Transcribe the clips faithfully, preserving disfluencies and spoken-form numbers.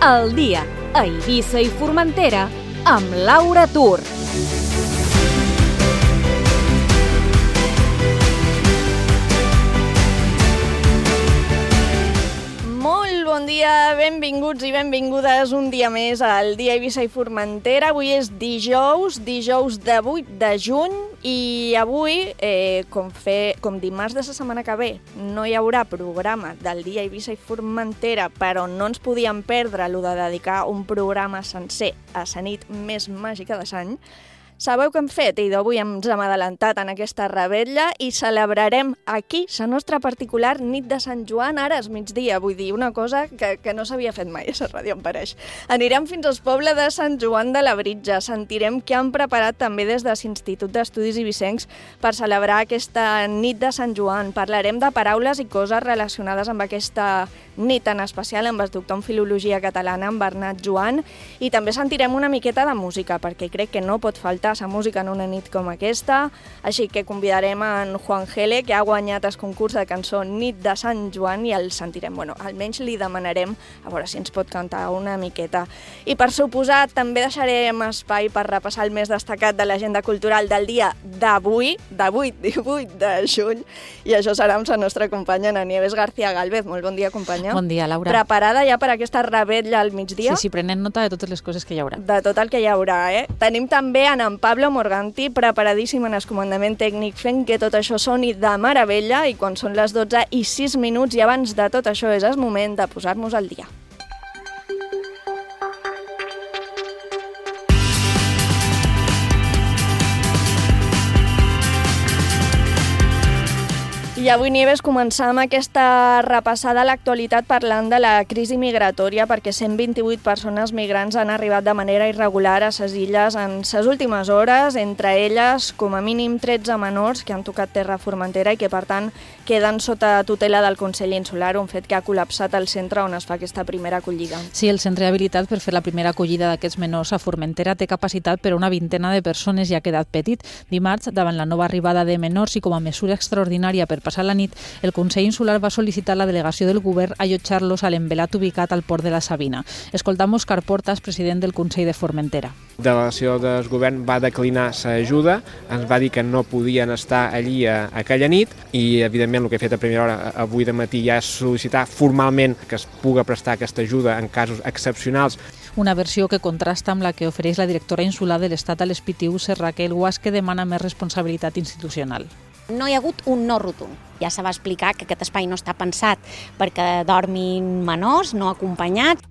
Al dia, a Eivissa i Formentera, amb Laura Tur. Molt bon dia, benvinguts i benvingudes un dia més al dia Eivissa i Formentera. Avui és dijous, dijous de vuit de juny, i avui, eh, com, fer, com dimarts de la setmana que ve, no hi haurà programa del dia Eivissa i Formentera, però no ens podíem perdre el de dedicar un programa sencer a la nit més màgica de l'any. Sabeu què hem fet? I d'avui ens hem adelantat en aquesta revetlla i celebrarem aquí la nostra particular nit de Sant Joan, ara és migdia, vull dir, una cosa que, que no s'havia fet mai a la ràdio, em pareix. Anirem fins al poble de Sant Joan de la Britja, sentirem què han preparat també des de l'Institut d'Estudis Eivissencs per celebrar aquesta nit de Sant Joan. Parlarem de paraules i coses relacionades amb aquesta nit, en especial amb el doctor en Filologia Catalana, en Bernat Joan, i també sentirem una miqueta de música, perquè crec que no pot faltar la música en una nit com aquesta, així que convidarem en Juan Gele, que ha guanyat el concurs de cançó Nit de Sant Joan, i el sentirem. Bueno, almenys li demanarem a veure si ens pot cantar una miqueta. I per suposat, també deixarem espai per repassar el més destacat de l'agenda cultural del dia d'avui, d'avui, divuit de juny, i això serà amb la nostra companya Ana Nieves García Gálvez. Molt bon dia, companya. Bon dia, Laura. Preparada ja per aquesta revetlla al migdia? Sí, sí, prenent nota de totes les coses que hi haurà. De tot el que hi haurà, eh? Tenim també en en Pablo Morganti, preparadíssim en el comandament tècnic, fent que tot això soni de meravella, i quan són les dotze i sis minuts i abans de tot això és el moment de posar-nos al dia. I avui, Nieves, començam aquesta repassada a l'actualitat parlant de la crisi migratòria, perquè cent vint-i-vuit persones migrants han arribat de manera irregular a les illes en les últimes hores, entre elles com a mínim tretze menors que han tocat terra a Formentera i que, per tant, queden sota tutela del Consell Insular, un fet que ha col·lapsat el centre on es fa aquesta primera acollida. Sí, el centre habilitat per fer la primera acollida d'aquests menors a Formentera té capacitat per a una vintena de persones i ha quedat petit. Dimarts, davant la nova arribada de menors i com a mesura extraordinària per passar la nit, el Consell Insular va sol·licitar a la delegació del govern allotjar-los a l'envelat ubicat al port de la Sabina. Escoltam Òscar Portas, president del Consell de Formentera. La delegació del govern va declinar l'ajuda, ens va dir que no podien estar allí a, a aquella nit, i evidentment el que he fet a primera hora avui de matí ja és sol·licitar formalment que es pugui prestar aquesta ajuda en casos excepcionals. Una versió que contrasta amb la que ofereix la directora insular de l'Estat a l'Espitiu, Raquel Guas, que demana més responsabilitat institucional. No hi ha hagut un no rotund. Ja se va explicar que aquest espai no està pensat perquè dormin menors, no acompanyats.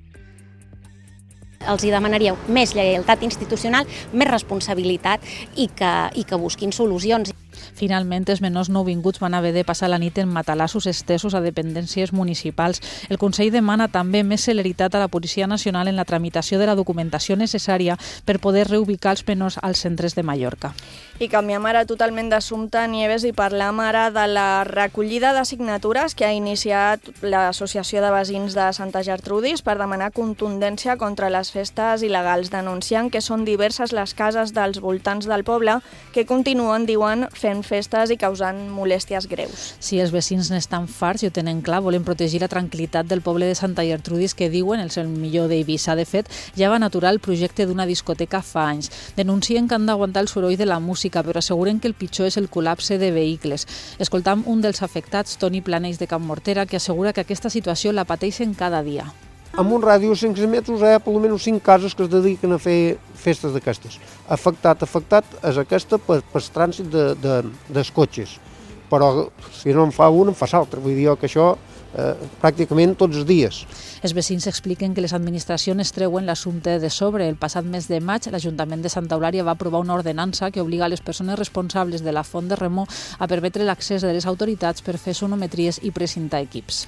Els hi demanaríeu més lleialtat institucional, més responsabilitat i que, i que busquin solucions. Finalment, els menors nouvinguts van haver de passar la nit en matalassos estesos a dependències municipals. El Consell demana també més celeritat a la Policia Nacional en la tramitació de la documentació necessària per poder reubicar els menors als centres de Mallorca. I canviem ara totalment d'assumpte, Nieves, i parlam ara de la recollida de signatures que ha iniciat l'Associació de Veïns de Santa Gertrudis per demanar contundència contra les festes il·legals, denunciant que són diverses les cases dels voltants del poble que continuen, diuen, fent festes i causant molèsties greus. Si els veïns n'estan farts i ho tenen clar, volen protegir la tranquil·litat del poble de Santa Gertrudis, que diuen el seu millor d'Eivissa. De fet, ja van aturar el projecte d'una discoteca fa anys. Denuncien que han d'aguantar el soroll de la música, però asseguren que el pitjor és el col·lapse de vehicles. Escoltam un dels afectats, Toni Planells de Can Mortera, que assegura que aquesta situació la pateixen cada dia. En un ràdio de cinc cents metres hi ha per almenys cinc cases que es dediquen a fer festes d'aquestes. Afectat, afectat és aquesta per, per trànsit de, de, dels cotxes. Però si no en fa un, en fa l'altre. Vull dir que això eh, pràcticament tots els dies. Els veïns expliquen que les administracions treuen l'assumpte de sobre. El passat mes de maig, l'Ajuntament de Santa Eulària va aprovar una ordenança que obliga les persones responsables de la font de Remor a permetre l'accés de les autoritats per fer sonometries i precintar equips.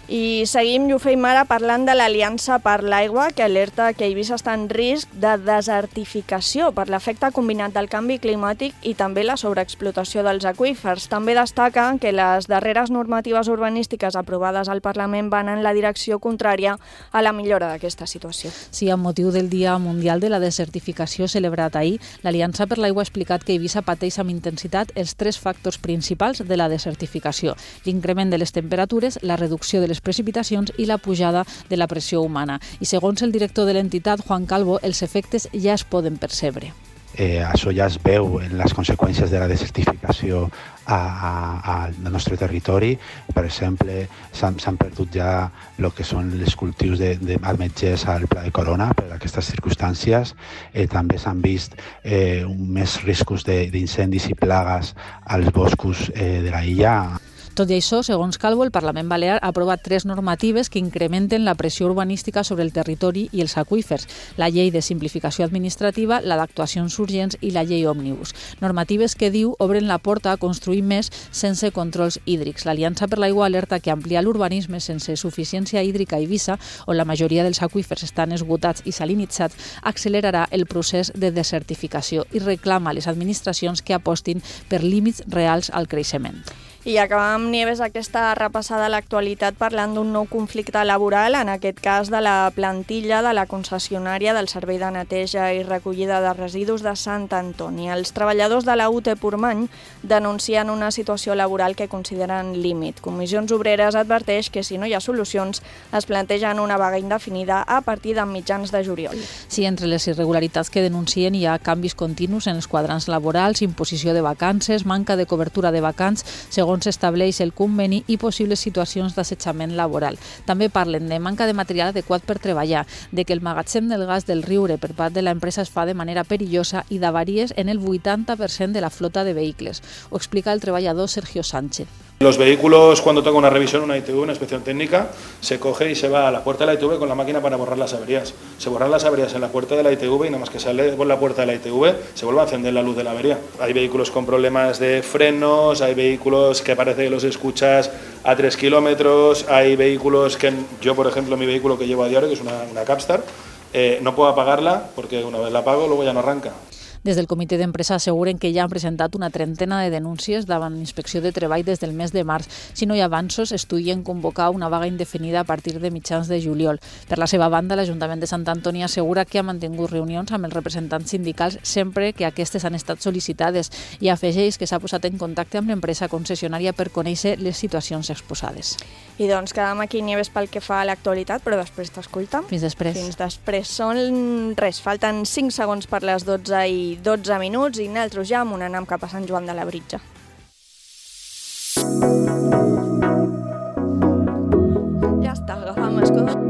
I seguim, i ho feim ara, parlant de l'Aliança per l'Aigua, que alerta que Eivissa està en risc de desertificació per l'efecte combinat del canvi climàtic i també la sobreexplotació dels aqüífers. També destaca que les darreres normatives urbanístiques aprovades al Parlament van en la direcció contrària a la millora d'aquesta situació. Sí, amb motiu del Dia Mundial de la Desertificació celebrat ahir, l'Aliança per l'Aigua ha explicat que Eivissa pateix amb intensitat els tres factors principals de la desertificació: l'increment de les temperatures, la reducció de les les precipitacions i la pujada de la pressió humana. I segons el director de l'entitat, Juan Calvo, els efectes ja es poden percebre. Eh, això ja es veu en les conseqüències de la desertificació a, a, al nostre territori. Per exemple, s'han perdut ja el que són els cultius de, de ametllers al Pla de Corona per aquestes circumstàncies. Eh, també s'han vist eh, més riscos d'incendis i plagues als boscos eh, de la illa. Tot i això, segons Calvo, el Parlament Balear ha aprovat tres normatives que incrementen la pressió urbanística sobre el territori i els aqüífers: la llei de simplificació administrativa, la d'actuacions urgents i la llei òmnibus. Normatives que, diu, obren la porta a construir més sense controls hídrics. L'Aliança per l'Aigua alerta que ampliar l'urbanisme sense suficiència hídrica a Eivissa, on la majoria dels aqüífers estan esgotats i salinitzats, accelerarà el procés de desertificació i reclama a les administracions que apostin per límits reals al creixement. I acabem, Nieves, aquesta repassada a l'actualitat parlant d'un nou conflicte laboral, en aquest cas de la plantilla de la concessionària del Servei de Neteja i Recollida de Residus de Sant Antoni. Els treballadors de la U T Portmany denuncien una situació laboral que consideren límit. Comissions Obreres adverteix que si no hi ha solucions es plantegen una vaga indefinida a partir de mitjans de juliol. Sí, entre les irregularitats que denuncien hi ha canvis continus en els quadrants laborals, imposició de vacances, manca de cobertura de vacants, segons s'estableix el conveni, i possibles situacions d'assetjament laboral. També parlen de manca de material adequat per treballar, de que el magatzem del gas del Riure per part de l'empresa es fa de manera perillosa i d'avaries en el vuitanta per cent de la flota de vehicles. Ho explica el treballador Sergio Sánchez. Los vehículos, cuando toca una revisión, una I T V, una inspección técnica, se coge y se va a la puerta de la I T V con la máquina para borrar las averías. Se borran las averías en la puerta de la I T V y nada más que sale por la puerta de la I T V se vuelve a encender la luz de la avería. Hay vehículos con problemas de frenos, hay vehículos que parece que los escuchas a tres kilómetros, hay vehículos que yo, por ejemplo, mi vehículo que llevo a diario, que es una, una Capstar, eh, no puedo apagarla porque una vez la apago luego ya no arranca. Des del comitè d'empresa asseguren que ja han presentat una trentena de denúncies davant l'Inspecció de Treball des del mes de març. Si no hi ha avanços, estudien convocar una vaga indefinida a partir de mitjans de juliol. Per la seva banda, l'Ajuntament de Sant Antoni assegura que ha mantingut reunions amb els representants sindicals sempre que aquestes han estat sol·licitades i afegeix que s'ha posat en contacte amb l'empresa concessionària per conèixer les situacions exposades. I doncs quedem aquí, Nieves, pel que fa a l'actualitat, però després t'escolta. Fins després. Fins després. Són res, falten cinc segons per les dotze i dotze minuts i nosaltres ja m'ho anem cap a Sant Joan de Labritja. Ja està, agafam escolta.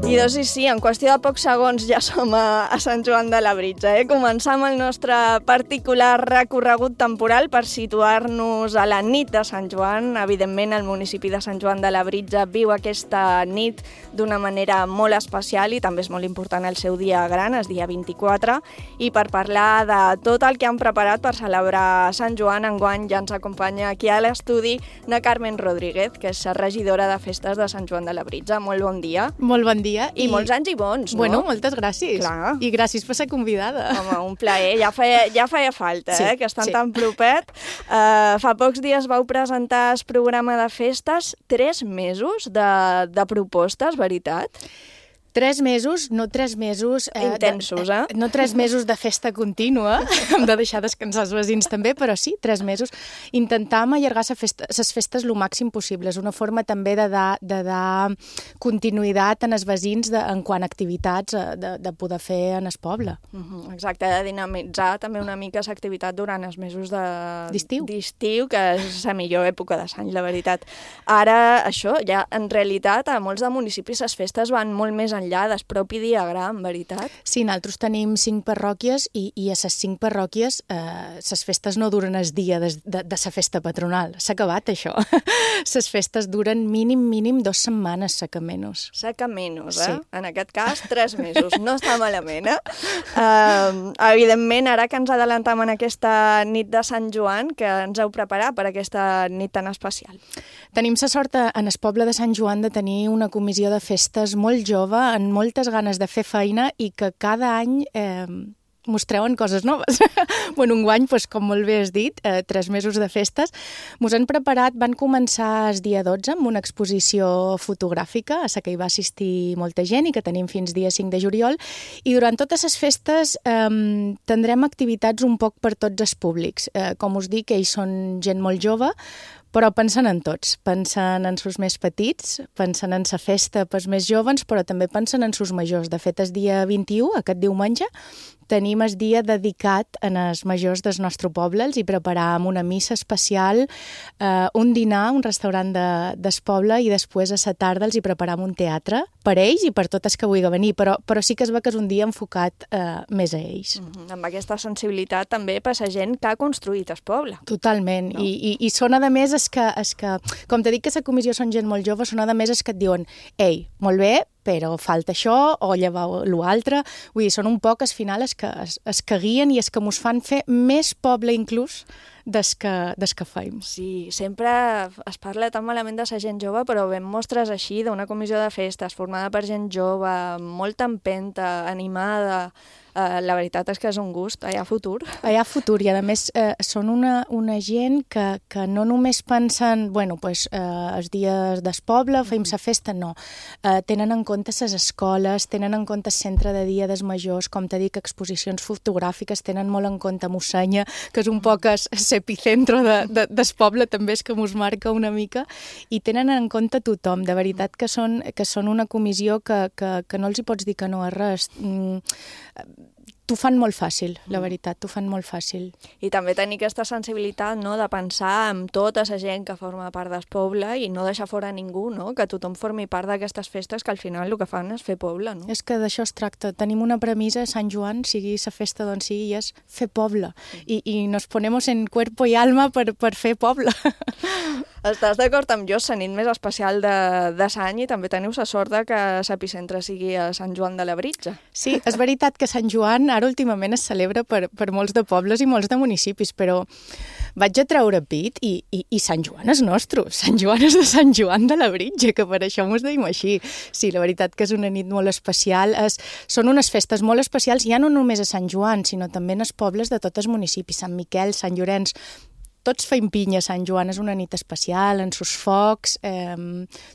I doncs sí, sí, en qüestió de pocs segons ja som a, a Sant Joan de Labritja. Eh? Començam el nostre particular recorregut temporal per situar-nos a la nit de Sant Joan. Evidentment, el municipi de Sant Joan de Labritja viu aquesta nit d'una manera molt especial i també és molt important el seu dia gran, el dia vint-i-quatre. I per parlar de tot el que han preparat per celebrar Sant Joan, enguany ja ens acompanya aquí a l'estudi na Carmen Rodríguez, que és regidora de Festes de Sant Joan de Labritja. Molt bon dia. Molt bon dia. I, I molts anys i bons, no? Bueno, moltes gràcies. Clar. I gràcies per ser convidada. Home, un plaer. Ja feia, ja feia falta, sí, eh? Que estan sí. tan propet. Uh, fa pocs dies vau presentar el programa de festes, tres mesos de, de propostes, veritat? Tres mesos, no tres mesos... Eh, Intensos, eh? De, no tres mesos de festa contínua, hem de deixar descansar els veïns també, però sí, tres mesos. Intentàvem allargar les festes, festes el màxim possible. És una forma també de dar, de dar continuïtat en els veïns de, en quant a activitats de, de poder fer en el poble. Uh -huh, exacte, de dinamitzar també una mica l'activitat durant els mesos d'estiu, de... que és la millor època de l'any, la veritat. Ara, això, ja en realitat, a molts de municipis les festes van molt més enllà del propi diagram, veritat? Sí, nosaltres tenim cinc parròquies i, i a les cinc parròquies eh, les festes no duren el dia de, de, de la festa patronal. S'ha acabat, això. Les festes duren mínim, mínim dues setmanes, saca menys. Saca menys, eh? Sí. En aquest cas, tres mesos. No està malament, eh? Uh, evidentment, ara que ens adelantam en aquesta nit de Sant Joan, que ens heu preparat per aquesta nit tan especial? Tenim la sort en el poble de Sant Joan de tenir una comissió de festes molt jove, amb moltes ganes de fer feina i que cada any eh, mos treuen coses noves. Bueno, enguany, doncs, com molt bé has dit, eh, tres mesos de festes, mos han preparat, van començar el dia dotze amb una exposició fotogràfica a la que hi va assistir molta gent i que tenim fins dia cinc de juliol, i durant totes les festes eh, tindrem activitats un poc per tots els públics. Eh, com us dic, ells són gent molt jove, però pensen en tots, pensen en sus més petits, pensen en la festa pels més joves, però també pensen en sus majors. De fet, el dia vint-i-u, aquest diumenge, tenim el dia dedicat en els majors del nostre poble, els hi preparàvem una missa especial, eh, un dinar, un restaurant de, del poble, i després a la tarda els hi preparàvem un teatre per ells i per totes que vulgui venir, però, però sí que es veu que és un dia enfocat eh, més a ells. Mm-hmm. Amb aquesta sensibilitat també per la gent que ha construït el poble. Totalment, no? I, i, i són a més es que, es que, com t'he dit que la comissió són gent molt jove, són a més es que et diuen, ei, molt bé, però falta això o llevar l'altre. Vull dir, són un poc, al final, es que, es, es que guien i es que mos fan fer més poble inclús des que, des que feim. Sí, sempre es parla tan malament de la gent jove, però veiem mostres així d'una comissió de festes formada per gent jove, molta empenta, animada. Uh, la veritat és que és un gust, hi ha futur. Hi ha futur i a més eh, són una, una gent que, que no només pensen, bueno, pues, eh, els dies del poble, feim la festa, no. Eh, tenen en compte les escoles, tenen en compte el centre de dia dels majors, com t'he dit, exposicions fotogràfiques, tenen molt en compte Mossenya, que és un poc l'epicentro de, de, del poble, també és que mos marca una mica, i tenen en compte tothom. De veritat que són, que són una comissió que, que, que no els hi pots dir que no a res. Mm, T'ho fan molt fàcil, la veritat, t'ho fan molt fàcil. I també tenir aquesta sensibilitat, no?, de pensar en tota la gent que forma part del poble i no deixar fora ningú, no?, que tothom formi part d'aquestes festes que al final el que fan és fer poble, no? És que d'això es tracta. Tenim una premissa, Sant Joan, sigui la festa d'on sigui, és fer poble. I, i nos ponemos en cuerpo y alma per, per fer poble. Estàs d'acord amb jo? És la nit més especial de, de l'any i també teniu la sort de que l'epicentre sigui a Sant Joan de Labritja. Sí, és veritat que Sant Joan ara últimament es celebra per, per molts de pobles i molts de municipis, però vaig a treure pit i, i, i Sant Joan és nostre. Sant Joan és de Sant Joan de Labritja, que per això mos deim així. Sí, la veritat que és una nit molt especial. Es, són unes festes molt especials, ja no només a Sant Joan, sinó també en els pobles de tots els municipis, Sant Miquel, Sant Llorenç. Tots feim pinya, Sant Joan és una nit especial, en sus focs, eh,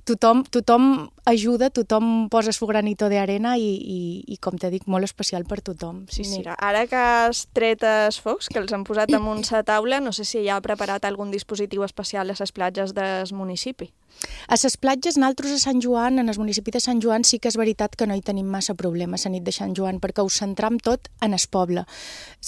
tothom, tothom ajuda, tothom posa su granito de arena i, i, i com t'he dit, molt especial per tothom. Sí, Mira, sí. Ara que has tret els focs, que els han posat damunt la taula, no sé si ja ha preparat algun dispositiu especial a les platges del municipi. A les platges, nosaltres a Sant Joan, en el municipi de Sant Joan, sí que és veritat que no hi tenim massa problemes a nit de Sant Joan, perquè ho centram tot en el poble.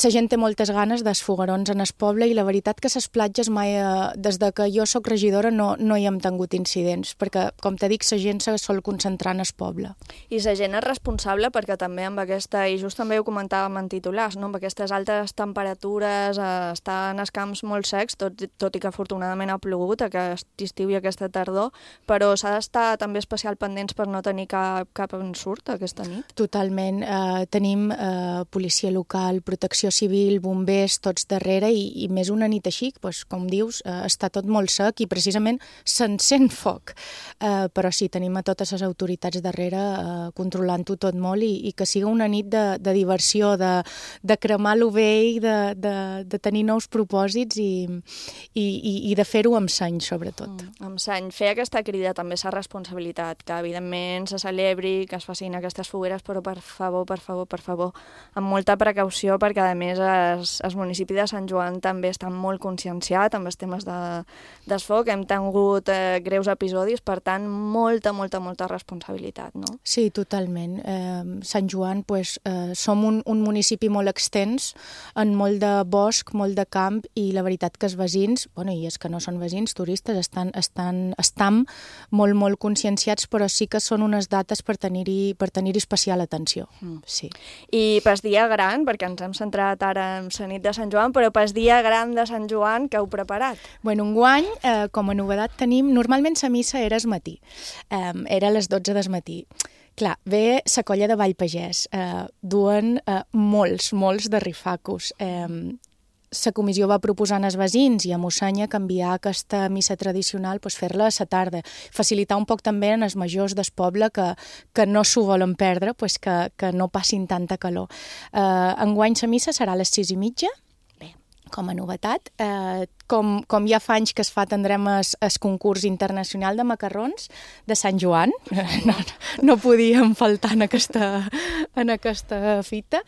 La gent té moltes ganes dels foguerons en el poble i la veritat que les platges mai, eh, des de que jo sóc regidora, no, no hi hem tingut incidents, perquè, com t'he dit, la gent se sol concentrar en el poble. I la gent és responsable perquè també amb aquesta, i just també ho comentàvem en titulars, no? Amb aquestes altes temperatures, eh, estan els camps molt secs, tot, tot i que afortunadament ha plogut aquest estiu i aquesta tardor, però s'ha d'estar també especial pendents per no tenir cap, cap ensurt aquesta nit. Totalment. Eh, tenim eh, policia local, protecció civil, bombers, tots darrere, i, i més una nit així, doncs, com dius, eh, està tot molt sec i precisament s'encén foc. Eh, però sí, tenim a totes les autoritats darrere eh, controlant-ho tot molt i, i que siga una nit de, de diversió, de, de cremar lo vell, de, de, de tenir nous propòsits i, i, i, i de fer-ho amb seny, sobretot. Mm, amb seny. Fer aquesta crida també és la responsabilitat, que evidentment se celebri, que es facin aquestes fogueres, però per favor, per favor, per favor, amb molta precaució, perquè a més es, el municipi de Sant Joan també està molt conscienciat amb els temes de, del foc, hem tingut eh, greus episodis, per tant, molta, molta, molta responsabilitat, no? Sí, totalment. Eh, Sant Joan, pues, eh, som un, un municipi molt extens, en molt de bosc, molt de camp, i la veritat que els veïns, bueno, i és que no són veïns, turistes, estan, estan, estan molt, molt conscienciats, però sí que són unes dates per tenir-hi per tenir-hi especial atenció. Mm. Sí. I pel dia gran, perquè ens hem centrat ara en la nit de Sant Joan, però pel dia gran de Sant Joan, què heu preparat? Bueno, enguany, eh, com a novedat tenim, normalment la missa era al matí, eh, era a les dotze del matí. Clar, ve la colla de Vallpagès, eh, duen eh, molts, molts de rifacos. Eh, la comissió va proposar als veïns i a Mossanya canviar aquesta missa tradicional, pues, fer-la a la tarda. Facilitar un poc també en els majors del poble que, que no s'ho volen perdre, pues, que, que no passin tanta calor. Eh, enguany la missa serà a les sis i mitja, com a novetat. Eh, com, com ja fa anys que es fa, tindrem el concurs internacional de macarrons de Sant Joan. No, no podíem faltar en aquesta, en aquesta fita.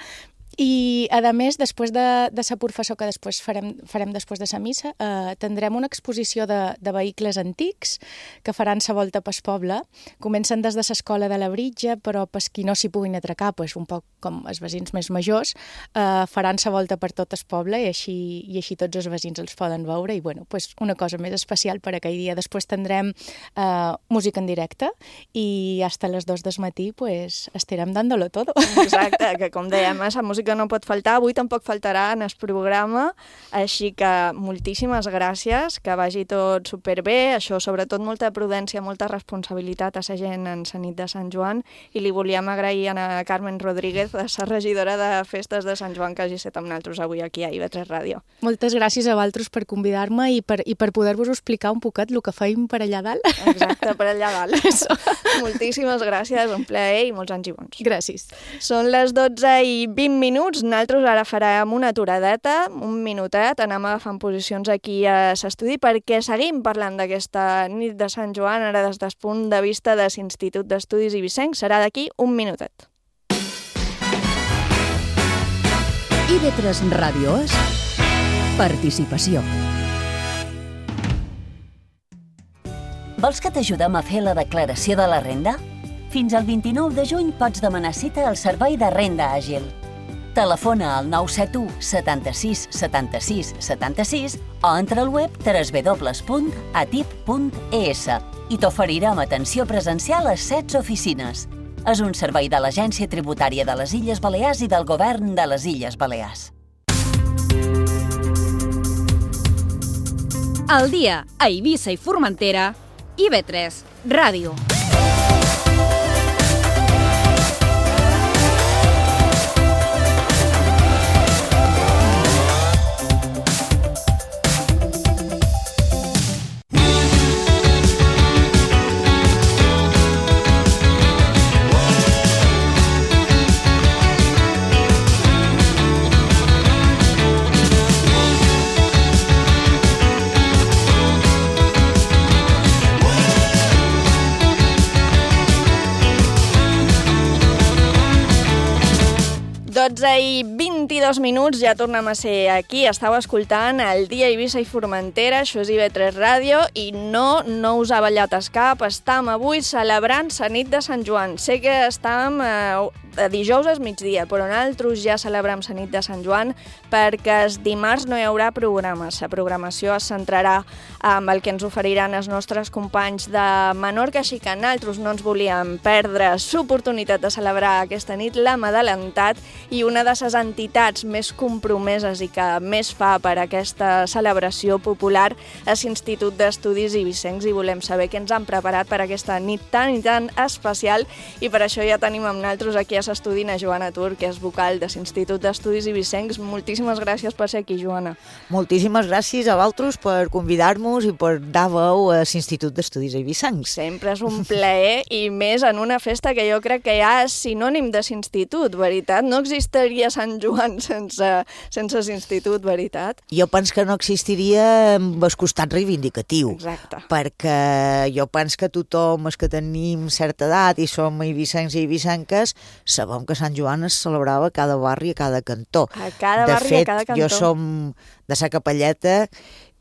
I, a més, després de, de la professor que després farem, farem després de la missa, eh, tindrem una exposició de, de vehicles antics que faran la volta pel poble. Comencen des de l'escola de la Britja, però per qui no s'hi puguin atracar, pues, un poc com els veïns més majors, eh, faran la volta per tot el poble i així, i així tots els veïns els poden veure. I bueno, pues, una cosa més especial per aquell dia. Després tindrem eh, música en directe i fins a les dos del matí pues, estarem dándolo todo. Exacte, que com dèiem, la música que no pot faltar, avui tampoc faltarà en el programa, així que moltíssimes gràcies, que vagi tot superbé, això sobretot molta prudència, molta responsabilitat a la gent en la nit de Sant Joan, i li volíem agrair a Carmen Rodríguez, la regidora de Festes de Sant Joan, que hagi estat amb nosaltres avui aquí a I V tres Ràdio. Moltes gràcies a vosaltres per convidar-me i per, i per poder-vos explicar un poquet el que feim per allà dalt. Exacte, per allà dalt. Moltíssimes gràcies, un plaer i molts anys i bons. Gràcies. Són les dotze i vint minuts. Nosaltres ara farem una aturadeta, un minutet, anem agafant posicions aquí a l'estudi perquè seguim parlant d'aquesta nit de Sant Joan, ara des del punt de vista de l'Institut d'Estudis Eivissencs. Serà d'aquí un minutet. I V tres Ràdio és participació. Vols que t'ajudem a fer la declaració de la renda? Fins al vint-i-nou de juny pots demanar cita al Servei de Renda Àgil. Telefona al nou set u setanta-sis setanta-sis setanta-sis o entra al web w w w punt a t i p punt e s i t'oferirem atenció presencial a setze oficines. És un servei de l'Agència Tributària de les Illes Balears i del Govern de les Illes Balears. Al dia a Eivissa i Formentera, I V tres Ràdio. dotze i vint-i-dos minuts, ja tornem a ser aquí. Estàu escoltant el Dia Eivissa i Formentera, això és I V tres Ràdio, i no, no us ha ballat el cap, estam avui celebrant la nit de Sant Joan. Sé que estam eh, a dijous al migdia, però nosaltres ja celebrem la nit de Sant Joan perquè el dimarts no hi haurà programes. La programació es centrarà amb el que ens oferiran els nostres companys de Menorca, així que nosaltres no ens volíem perdre l'oportunitat de celebrar aquesta nit. L'hem adelantat i una de les entitats més compromeses i que més fa per aquesta celebració popular és l'Institut d'Estudis Eivissencs, i volem saber què ens han preparat per aquesta nit tan i tan especial, i per això ja tenim amb nosaltres aquí a l'estudi a Joana Tur, que és vocal de l'Institut d'Estudis Eivissencs. Moltíssimes gràcies per ser aquí, Joana. Moltíssimes gràcies a vosaltres per convidar-nos i per dar veu a l'Institut d'Estudis Eivissencs. Sempre és un plaer, i més en una festa que jo crec que ja és sinònim de l'institut, veritat? No existiria Sant Joan sense, sense l'institut, veritat? Jo penso que no existiria amb el costat reivindicatiu. Exacte. Perquè jo penso que tothom els que tenim certa edat i som eivissencs i eivissenques sabem que Sant Joan es celebrava a cada barri, a cada cantó. A cada de barri, fet, a cada cantó. Jo som de sa Capelleta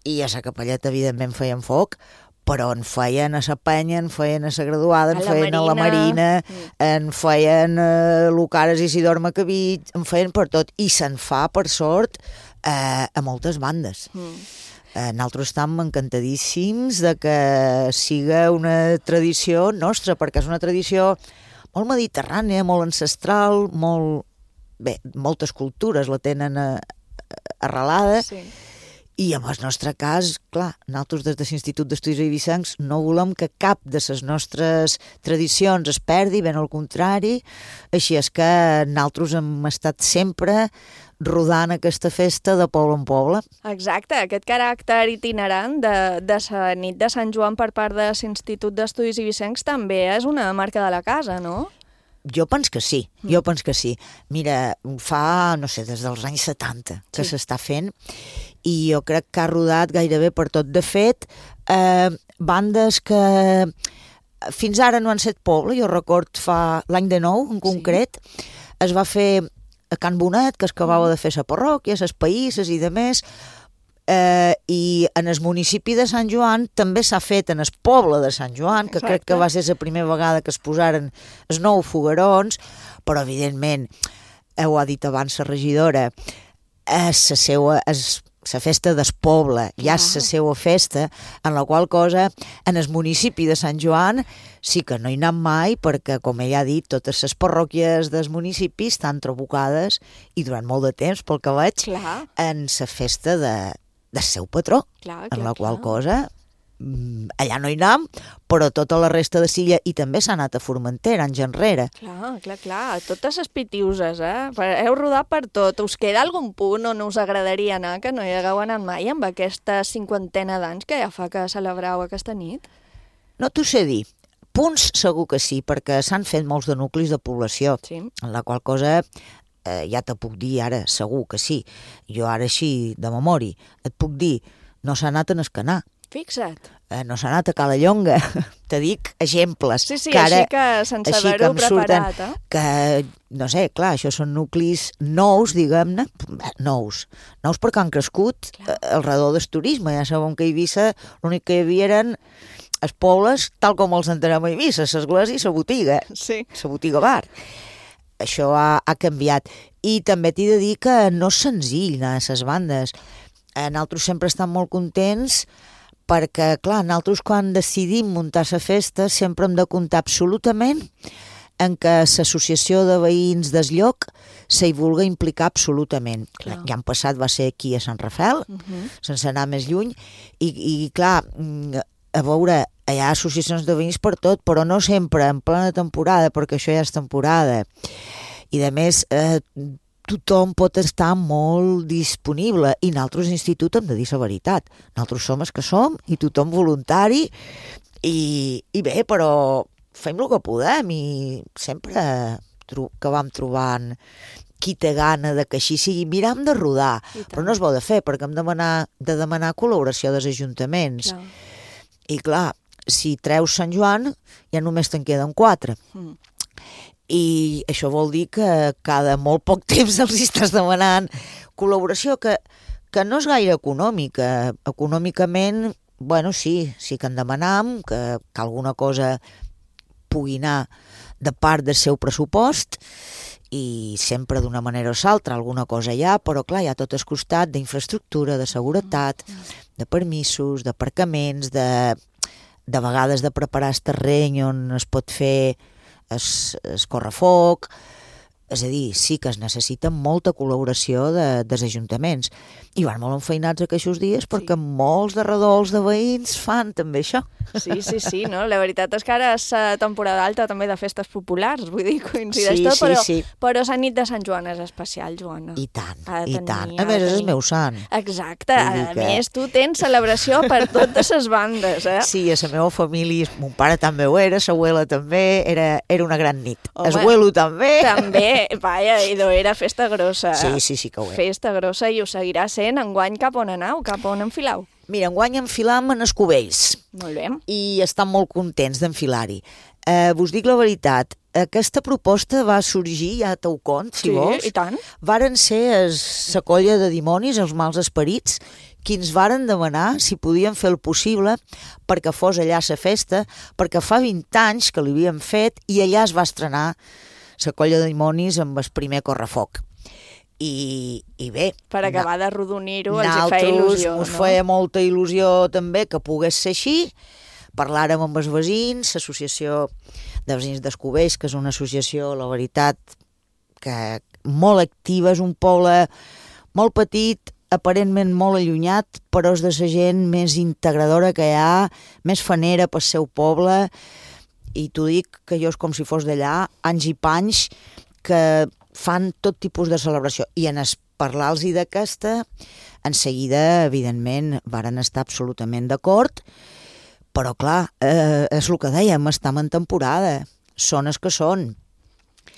i a sa Capelleta evidentment feien foc, però en feien a la penya, en feien a la graduada, en feien a la Marina, mm. en feien a Lucares i Isidor Macabí, en feien per tot, i se'n fa, per sort, eh, a moltes bandes. Mm. Eh, nosaltres estem encantadíssims de que siga una tradició nostra, perquè és una tradició molt mediterrània, molt ancestral, molt... bé, moltes cultures la tenen a, a, arrelada, sí. I en el nostre cas, clar, nosaltres des de l'Institut d'Estudis Eivissencs no volem que cap de les nostres tradicions es perdi, ben al contrari, així és que nosaltres hem estat sempre rodant aquesta festa de poble en poble. Exacte, aquest caràcter itinerant de, de la nit de Sant Joan per part de l'Institut d'Estudis Eivissencs també és una marca de la casa, no? Jo penso que sí, jo penso que sí. Mira, fa, no sé, des dels anys setanta que sí. s'està fent i jo crec que ha rodat gairebé per tot. De fet, eh, bandes que fins ara no han set poble, jo record fa l'any de nou en concret, sí. es va fer a Can Bonet, que es acabava de fer la parròquia, les païsses i de més, Eh, i en el municipi de Sant Joan també s'ha fet en el poble de Sant Joan, que Exacte. crec que va ser la primera vegada que es posaren els nou foguerons, però evidentment, ho ha dit abans la regidora, és la seva, és la festa del poble, ja és la seva festa, en la qual cosa en el municipi de Sant Joan sí que no hi anem mai perquè, com ella ha dit, totes les parròquies dels municipis estan trabucades i durant molt de temps, pel que veig, clar. en la festa de del seu patró, clar, clar, en la qual clar. cosa allà no hi anem, però tota la resta de Silla, i també s'ha anat a Formentera, anys enrere. Clar, clar, clar, totes les pitiuses, eh? Heu rodat per tot. Us queda algun punt on us agradaria anar que no hi hagueu anat mai amb aquesta cinquantena d'anys que ja fa que celebrau aquesta nit? No t'ho sé dir. Punts segur que sí, perquè s'han fet molts de nuclis de població, sí. en la qual cosa... Eh, ja te puc dir ara, segur que sí. Jo ara així, de memòria, et puc dir, no s'ha anat a Escanar. Fixa't. Eh, no s'ha anat a Cala Llonga. Te dic exemples. Sí, sí, que ara, així que sense haver-ho preparat. Surten, eh? Que, no sé, clar, això són nuclis nous, diguem-ne, nous. Nous perquè han crescut clar. al redor del turisme. Ja sabem que a Eivissa l'únic que hi havia eren els pobles, tal com els entenem a Eivissa, l'església i la botiga. Sí. La botiga bar. Això ha, ha canviat. I també t'he de dir que no és senzill anar a les bandes. Nosaltres sempre estem molt contents perquè, clar, nosaltres quan decidim muntar la festa sempre hem de comptar absolutament en que l'associació de veïns del lloc s'hi vulgui implicar absolutament. Clar. L'any passat va ser aquí a Sant Rafel, uh-huh. sense anar més lluny, i, i clar, a veure... Hi ha associacions de veïns per tot, però no sempre en plena temporada, perquè això ja és temporada. I, a més, eh, tothom pot estar molt disponible. I nosaltres, institut, hem de dir la veritat. Nosaltres som els que som, i tothom voluntari. I, i bé, però fem el que podem. I sempre que vam trobant qui té gana de que així sigui, miram de rodar. Però no es vol de fer, perquè hem de demanar, de demanar col·laboració dels ajuntaments. Clar. I, clar, si treus Sant Joan, ja només te'n queden quatre. Mm. I això vol dir que cada molt poc temps els estàs demanant col·laboració, que, que no és gaire econòmica. Econòmicament, bueno, sí, sí que en demanam, que, que alguna cosa pugui anar de part del seu pressupost, i sempre d'una manera o l'altra, alguna cosa hi ha, però clar, hi ha tot el costat d'infraestructura, de seguretat, de permisos, d'aparcaments, de... de vegades de preparar el terreny on es pot fer es, es correfoc, és a dir, sí que es necessita molta col·laboració de, dels ajuntaments. I van molt enfeinats aquests dies perquè sí. molts de redols de veïns fan també això. Sí, sí, sí, no? La veritat és que ara és temporada alta també de festes populars, vull dir, coincideix sí, tot, sí, però, sí. però la nit de Sant Joan és especial, Joana. I tant, tenir, i tant. A més, és el meu sant. Exacte, a que... més tu tens celebració per totes les bandes, eh? Sí, a la meva família, mon pare també ho era, l'abuela també, era, era una gran nit. Home, el abuelo també. També, vaja, i era festa grossa. Sí, sí, sí que ho era. Festa grossa i ho seguirà sent. Enguany cap on anau, cap on enfilau? Mira, enguany enfilam en els Cubells. Molt bé. I estan molt contents d'enfilar-hi. Eh, vos dic la veritat, aquesta proposta va sorgir, ja t'ho cont, si sí, vols. Sí, i tant. Varen ser la colla de dimonis, els mals esperits, qui ens varen demanar si podien fer el possible perquè fos allà la festa, perquè fa vint anys que l'havíem fet i allà es va estrenar la colla de dimonis amb el primer correfoc. I, i bé... Per acabar de rodonir-ho, els hi feia il·lusió, no? Ens feia molta il·lusió també que pogués ser així. Parlàrem amb els veïns, l'associació de veïns d'Escubells, que és una associació, la veritat, que molt activa, és un poble molt petit, aparentment molt allunyat, però és de la gent més integradora que hi ha, més fanera pel seu poble, i t'ho dic que jo és com si fos d'allà, anys i panys, que fan tot tipus de celebració. I en es parlar-los d'aquesta, en seguida, evidentment, varen estar absolutament d'acord, però clar, eh, és el que dèiem, estem en temporada, són els que són.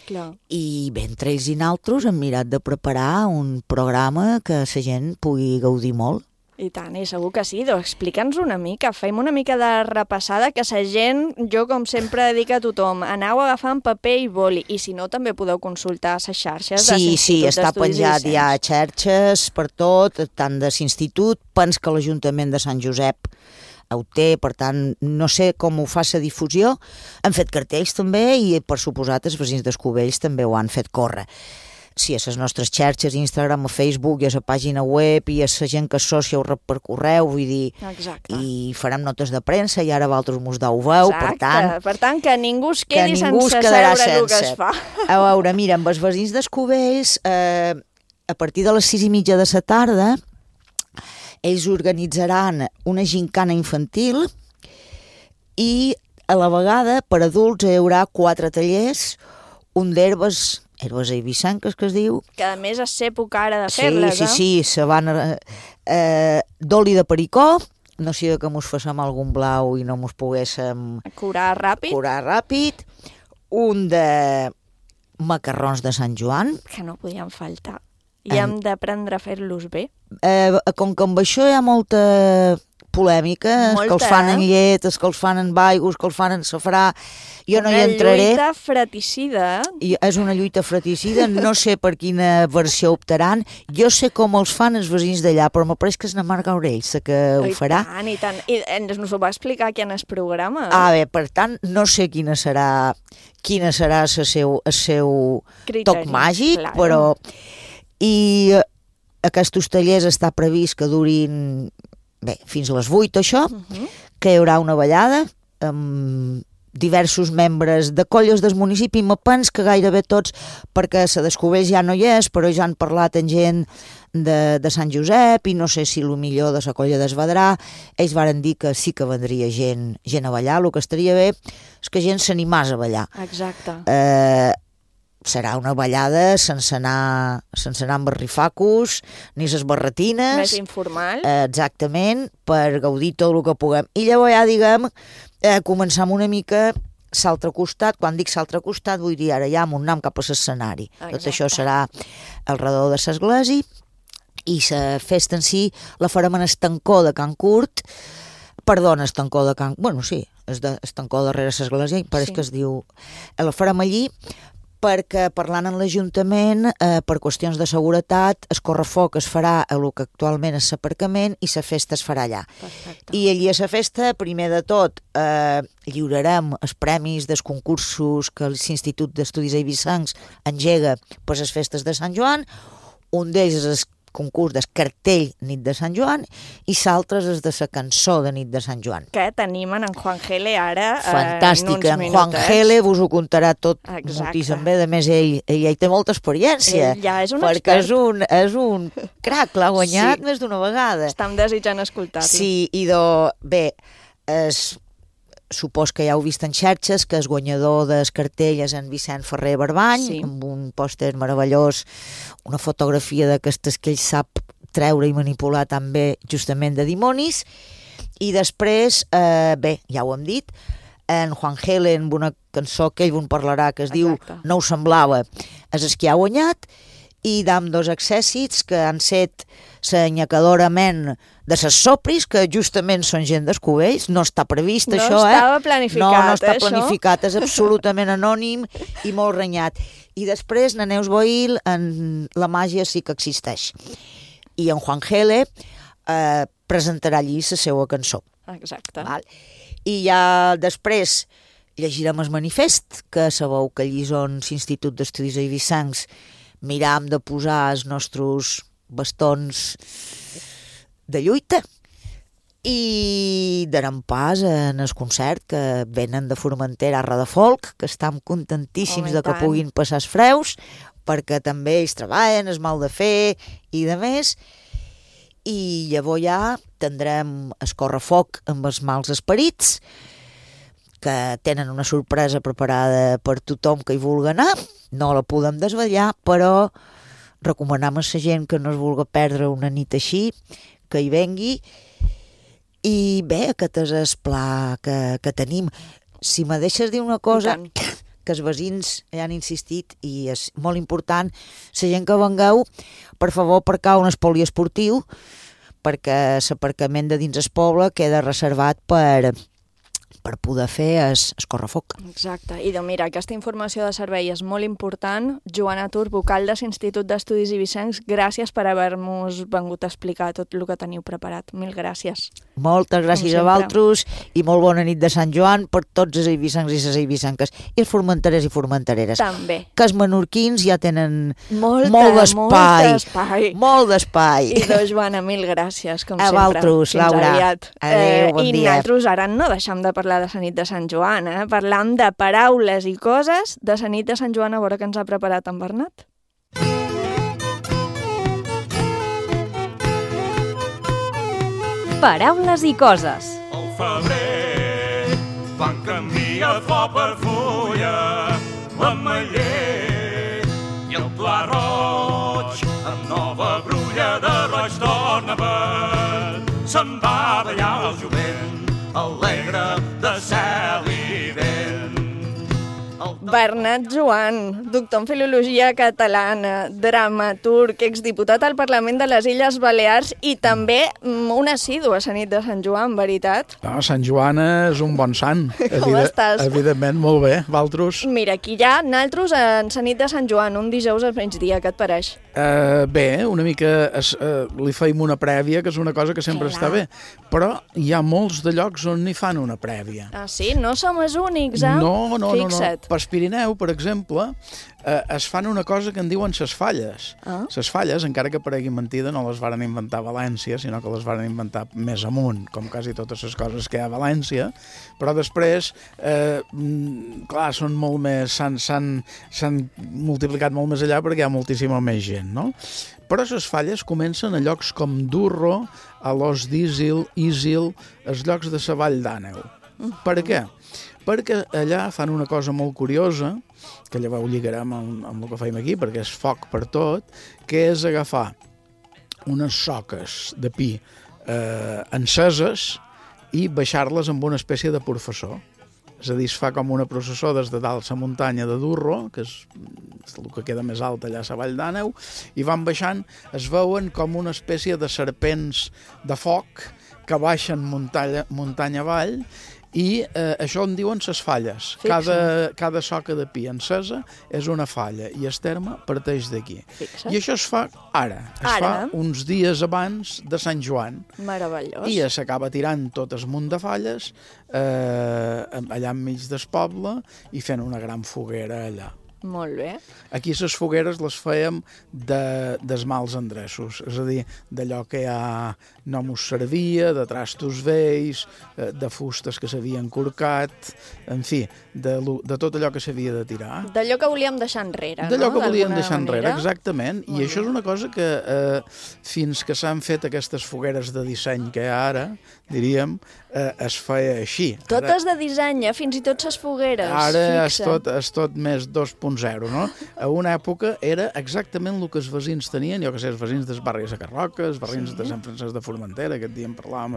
Clar. I bé, entre ells i naltros hem mirat de preparar un programa que la gent pugui gaudir molt. I tant, i segur que sí. Doncs explica'ns una mica, fem una mica de repassada, que la gent, jo com sempre dic a tothom, aneu agafant paper i boli, i si no també podeu consultar les xarxes sí, de l'Institut Sí, sí, està d'Estudis penjat Eivissencs. ja a xarxes per tot, tant de l'Institut, pens que l'Ajuntament de Sant Josep ho té, per tant, no sé com ho fa la difusió. Han fet cartells també i, per suposat, els veïns d'Escubells també ho han fet córrer. Sí, a les nostres xarxes, Instagram, a Facebook, i a la pàgina web, i a la gent que associa ho rep per correu, vull dir, Exacte. i farem notes de premsa, i ara vosaltres mos deu veu, Exacte. per tant... Per tant, que ningú es quedi que ningú sense es quedarà saber el que sense. es fa. A veure, mira, amb els veïns d'Escubells, eh, a partir de les sis i mitja de la tarda, ells organitzaran una gincana infantil i a la vegada per adults hi haurà quatre tallers, un d'herbes, herbes eivissenques que es diu. Que a més és època ara de fer-les, sí, eh? Sí, sí, se van... Eh, d'oli de pericó, no sigui que mos fassem algun blau i no mos poguéssim... Curar ràpid. Curar ràpid. Un de macarrons de Sant Joan. Que no podien faltar. I hem d'aprendre a fer-los bé. Eh, com que amb això hi ha molta polèmica, els que els fan en llet, els que els fan en aigua, els que els fan en safrà, jo no hi entraré. Una lluita fratricida. I és una lluita fratricida, no sé per quina versió optaran, jo sé com els fan els veïns d'allà, però m'apareix que és na Marga Aurell, sé que ho farà. I tant, i tant. I ens ho va explicar aquí en el programa. Ah, bé, per tant, no sé quina serà quina serà el seu, el seu toc màgic, claro. Però... I aquests tallers està previst que durin bé, fins a les vuit, això, uh -huh. que hi haurà una ballada amb diversos membres de colles del municipi, me pens que gairebé tots, perquè la d'Escubells ja no hi és, però ja han parlat amb gent de, de Sant Josep i no sé si el millor de la colla d'Esvedrà, ells varen dir que sí que vendria gent, gent a ballar, el que estaria bé és que gent s'animàs a ballar. Exacte. Eh... serà una ballada sense anar, sense anar amb barrifacos ni ses barretines. Més informal. Eh, exactament, per gaudir tot el que puguem. I llavors ja, diguem, eh, començar amb una mica l'altre costat. Quan dic l'altre costat, vull dir ara ja amb un nam cap a l'escenari. Tot això serà al redor de l'església i la festa en si la farem en Estancó de Can Curt. Perdona, Estancó de Can... Bueno, sí, és de Estancó darrere l'església, pareix sí. que es diu... La farem allí perquè parlant amb l'Ajuntament, eh, per qüestions de seguretat, el correfoc es farà a el que actualment és l'aparcament i la festa es farà allà. Perfecte. I allí a la festa, primer de tot, eh, lliurarem els premis dels concursos que l'Institut d'Estudis Eivissencs engega per les festes de Sant Joan. Un d'ells és el concurs del cartell Nit de Sant Joan i l'altre és de la cançó de Nit de Sant Joan. Que tenim en Juan Gele ara fantàstic, en uns en minutets. Juan Gele vos ho contarà tot moltíssim bé, a més ell, ell, ell té molta experiència. Ell ja és un perquè expert. és un, és un crac, l'ha guanyat sí. més d'una vegada. Estem desitjant escoltar-lo. Sí, i do, bé, es, supos que ja heu vist en xarxes que el guanyador del cartell és en Vicent Ferrer Barbany, sí. amb un pòster meravellós, una fotografia d'aquestes que ell sap treure i manipular també justament de dimonis, i després, eh, bé, ja ho hem dit, en Juan Gele, amb una cançó que ell en parlarà, que es Exacte. diu No ho semblava, és el que ha guanyat, i d'amb dos accèssits que han set l'anyacadora ment de ses sopris, que justament són gent d'Escubells, no està previst no això, eh? No estava planificat, No, no està eh, planificat, és absolutament anònim i molt renyat. I després, na Neus Boil, en la màgia sí que existeix. I en Juan Gele eh, presentarà allí la seva cançó. Exacte. Val? I ja després llegirem el manifest, que sabeu que allí on l'Institut d'Estudis Eivissencs miram de posar els nostres bastons de lluita i darem pas en el concert que venen de Formentera a Radafolk, que estem contentíssims oh, de que tant. puguin passar els freus, perquè també ells treballen, es mal de fer i de més. i llavors ja tindrem escorrefoc amb els mals esperits, que tenen una sorpresa preparada per tothom que hi vulgui anar. No la podem desvetllar, però recomanem a la gent que no es vulgui perdre una nit així, que hi vengui. I bé, aquest és el pla que, que tenim. Si me deixes dir una cosa, que els veïns ja han insistit i és molt important, la gent que vengueu, per favor, aparcau en el poliesportiu, perquè l'aparcament de dins el poble queda reservat per... per poder fer es, es correfoc. Exacte. I doncs mira, aquesta informació de servei és molt important. Joana Tur, vocal de l'Institut d'Estudis Eivissencs, gràcies per haver-nos vengut a explicar tot el que teniu preparat. Mil gràcies. Moltes gràcies a vosaltres i molt bona nit de Sant Joan per tots els eivissencs i les eivissenques i els formenterers i formentereres. També. Que els menorquins ja tenen molta, molt d'espai. Molt d'espai. Molt d'espai. I doncs, Joana, mil gràcies, com a sempre. A vosaltres, Laura. Aviat. Adéu, bon eh, dia. I nosaltres ara no deixem de parlar de la nit de Sant Joan, eh? Parlam de paraules i coses de la nit de Sant Joan, a veure què ens ha preparat en Bernat. Paraules i coses. Al febrer fan canvia flor per fulla, l'ametller i el pla roig amb nova brulla de roig torna per se'n va ballar el jovent alegre de cel i vent. Bernat Joan, doctor en Filologia Catalana, dramaturg, exdiputat al Parlament de les Illes Balears i també un assidu a la nit de Sant Joan, veritat? No, Sant Joan és un bon sant. Com estàs? Evidentment, molt bé. Valtros? Mira, aquí ja, naltros en la nit de Sant Joan, un dijous al migdia, què et pareix? Uh, bé, una mica es, uh, li feim una prèvia, que és una cosa que sempre Clar. Està bé, però hi ha molts de llocs on n'hi fan una prèvia. Ah, sí? No som els únics, eh? No, no, Fixa't. no, no. Per Pirineu, per exemple, eh, es fan una cosa que en diuen ses falles. Ah. Ses falles, encara que paregui mentida, no les varen inventar a València, sinó que les varen inventar més amunt, com quasi totes les coses que hi ha a València, però després, eh, clar, són molt més, s'han multiplicat molt més allà perquè hi ha moltíssima més gent, no? Però les falles comencen a llocs com Durro, a l'Os d'Isil, Isil, els llocs de la Vall d'Àneu. Uh-huh. Per què? Perquè allà fan una cosa molt curiosa, que llavors ho lligarem amb, amb el que fem aquí, perquè és foc per tot, que és agafar unes soques de pi eh, enceses i baixar-les amb una espècie de professor. És a dir, es fa com una processó des de dalt la muntanya de Durro, que és el que queda més alt allà a la Vall d'Àneu, i van baixant, es veuen com una espècie de serpents de foc que baixen muntanya, muntanya avall, i eh, això en diuen ses falles. Cada, cada soca de pi encesa és una falla i el terme parteix d'aquí. I això es fa ara. Es ara. fa uns dies abans de Sant Joan. Meravellós. I s'acaba tirant tot el munt de falles eh, allà enmig del poble i fent una gran foguera allà. Molt bé. Aquí les fogueres les fèiem de, dels mals endreços, és a dir, d'allò que ja no mos servia, de trastos vells, de fustes que s'havien corcat, en fi, de, de tot allò que s'havia de tirar. D'allò que volíem deixar enrere, D'allò no? que volíem deixar manera. enrere, exactament. Molt I això és una cosa que eh, fins que s'han fet aquestes fogueres de disseny que hi ha ara, diríem, eh, es feia així. Totes de disseny, eh? Fins i tot les fogueres. Ara és tot, és tot més dos punt zero, no? A una època era exactament el que els veïns tenien, jo que sé, els veïns del barri de Sacarroca, els veïns sí. de Sant Francesc de Formentera, aquest dia en parlàvem,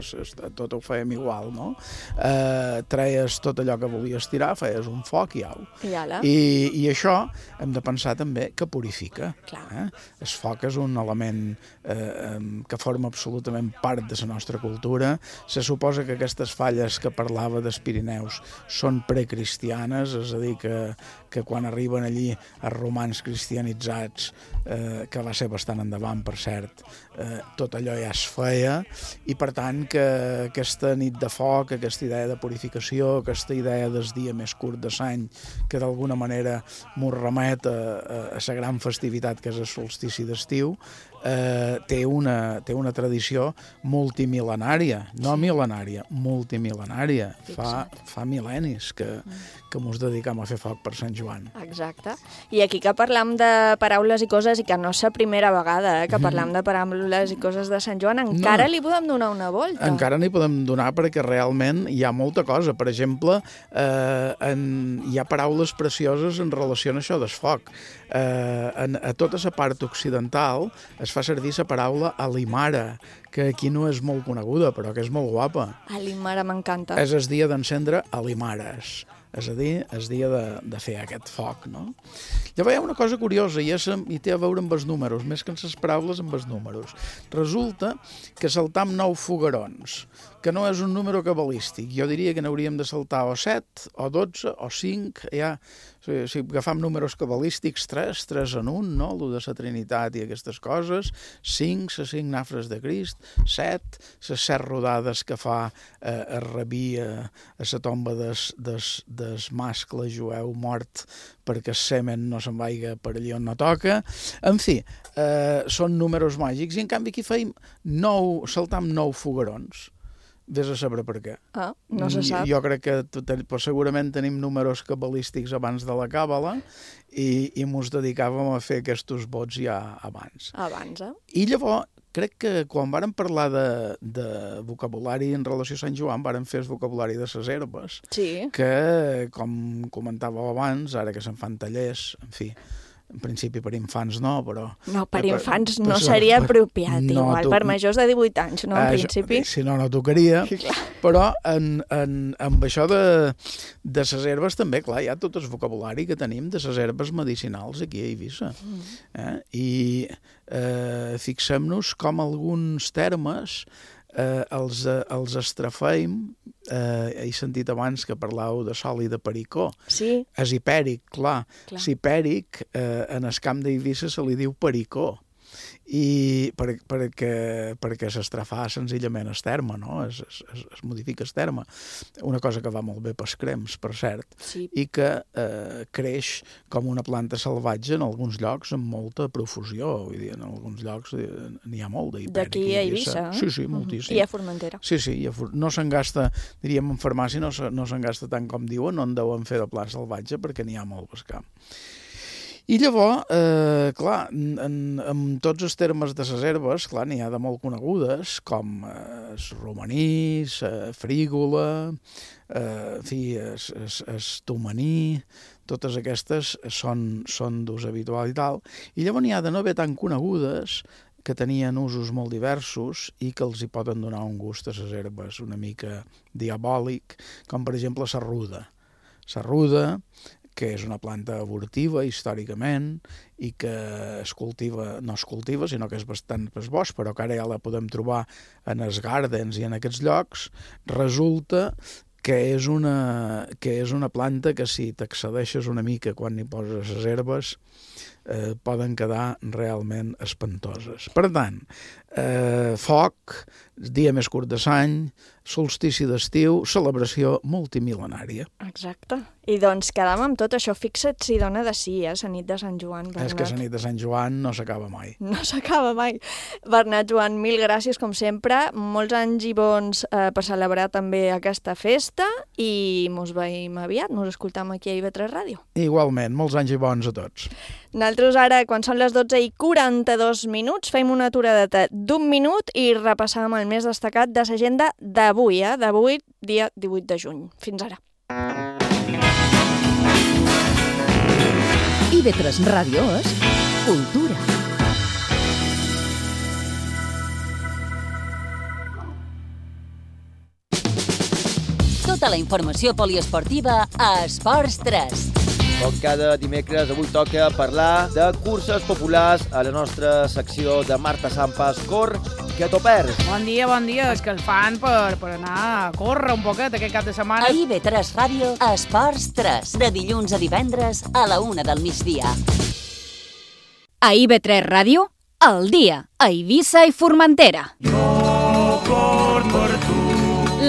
tot ho fèiem igual, no? Eh, treies tot allò que volies tirar, feies un foc i au. I, I, i això hem de pensar també que purifica. Eh? El foc és un element eh, que forma absolutament part de la nostra cultura. Se suposa que aquestes falles que parlava dels Pirineus són precristianes, és a dir, que, que quan arriben allí els romans cristianitzats, eh, que va ser bastant endavant, per cert, eh, tot allò ja es feia, i per tant que aquesta nit de foc, aquesta idea de purificació, aquesta idea del dia més curt de l'any, que d'alguna manera mos remet a, a, a la gran festivitat que és el solstici d'estiu, eh, té, una, té una tradició multimil·lenària, no mil·lenària, multimil·lenària, fa, fa mil·lennis que, que mos dedicam a fer foc per Sant Joan. Exacte. I aquí que parlam de paraules i coses, i que no és la primera vegada eh, que parlam de paraules i coses de Sant Joan, encara no. li podem donar una volta. Encara n'hi podem donar perquè realment hi ha molta cosa. Per exemple, eh, en, hi ha paraules precioses en relació a això del foc. Eh, en, a tota la part occidental es fa servir la paraula alimara, que aquí no és molt coneguda, però que és molt guapa. Alimara m'encanta. És el dia d'encendre alimares. És a dir, és dia de, de fer aquest foc, no? Llavors hi ha una cosa curiosa, i, és, i té a veure amb els números, més que amb les paraules, amb els números. Resulta que saltam nou foguerons, que no és un número cabalístic. Jo diria que n'hauríem de saltar o set, o dotze, o cinc, ja... Si, si agafam números cabalístics, tres, tres en un, no? L'u de la Trinitat i aquestes coses, cinc, les cinc nafres de Crist, set, les set rodades que fa eh, el rabí a, a la tomba des, des, des mascle jueu mort perquè el semen no se'n vaiga per allà on no toca. En fi, eh, són números màgics, i en canvi aquí feim nou, saltam nou foguerons. Vés a saber per què. Ah, no se sap. Jo crec que pues, segurament tenim números cabalístics abans de la càbala i, i mos dedicàvem a fer aquests vots ja abans. Abans, eh? I llavors, crec que quan vàrem parlar de, de vocabulari en relació a Sant Joan, vàrem fer el vocabulari de les herbes, sí. que, com comentàveu abans, ara que se'n fan tallers, en fi, en principi per infants no, però... No, per infants per, no per, seria per, apropiat, no, igual, tu, per majors de divuit anys, no, en eh, principi. Si no, no tocaria, però en, en, amb això de, de les herbes també, clar, hi ha tot el vocabulari que tenim de les herbes medicinals aquí a Eivissa. Mm. Eh? I eh, fixem-nos com alguns termes eh, els, els estrafeim. Eh, he sentit abans que parlàveu de sol i de pericó. Sí. És hipèric, clar. clar. L'hipèric eh, en el camp d'Eivissa se li diu pericó. I per, perquè, perquè s'estrafà senzillament el terme, no? Es, es, es modifica el terme. Una cosa que va molt bé pels crems, per cert, sí. i que eh, creix com una planta salvatge en alguns llocs amb molta profusió. Vull dir, en alguns llocs n'hi ha molt d'hipèric. D'aquí a Eivissa? Sí, sí, moltíssim. I a Formentera? Sí, sí. A For... No se'n gasta, diríem en farmàcia, no, se, no se'n gasta tant com diuen, no en deuen fer de pla salvatge perquè n'hi ha molt pel camp. I llavors, eh, clar, en, en tots els termes de les herbes, clar, n'hi ha de molt conegudes, com eh, el romaní, la frígola, eh, en fi, el tomaní, totes aquestes són, són d'ús habitual i tal. I llavors n'hi ha de no haver tan conegudes, que tenien usos molt diversos i que els hi poden donar un gust a les herbes una mica diabòlic, com per exemple la ruda. La ruda, que és una planta abortiva històricament i que es cultiva, no es cultiva, sinó que és bastant per bosc, però que ara ja la podem trobar en els gardens i en aquests llocs, resulta que és una, que és una planta que si t'accedeixes una mica quan hi poses les herbes eh, poden quedar realment espantoses. Per tant, eh, foc, dia més curt de l'any, solstici d'estiu, celebració multimil·lenària. Exacte. I doncs quedam amb tot això. Fixa't si dona de sí, eh, la nit de Sant Joan, Bernat. És que la nit de Sant Joan no s'acaba mai. No s'acaba mai. Bernat, Joan, mil gràcies, com sempre. Molts anys i bons eh, per celebrar també aquesta festa i mos veiem aviat, mos escoltam aquí a I V tres Ràdio. Igualment, molts anys i bons a tots. Nosaltres ara, quan són les dotze i quaranta-dos minuts, fem una aturadeta d'un minut i repassam el més destacat de l'agenda d'avui, eh? D'avui, dia divuit de juny. Fins ara. I V tres Ràdio és cultura. Tota la informació poliesportiva a Esports tres. Com cada dimecres, avui toca parlar de curses populars a la nostra secció de Marta Sampas, Cor, que t'ho perds. Bon dia, bon dia. És que el fan per, per anar a córrer un poquet aquest cap de setmana. A I V tres Ràdio, Esports tres, de dilluns a divendres a la una del migdia. A I V tres Ràdio, al dia, a Eivissa i Formentera. Jo cor per tu.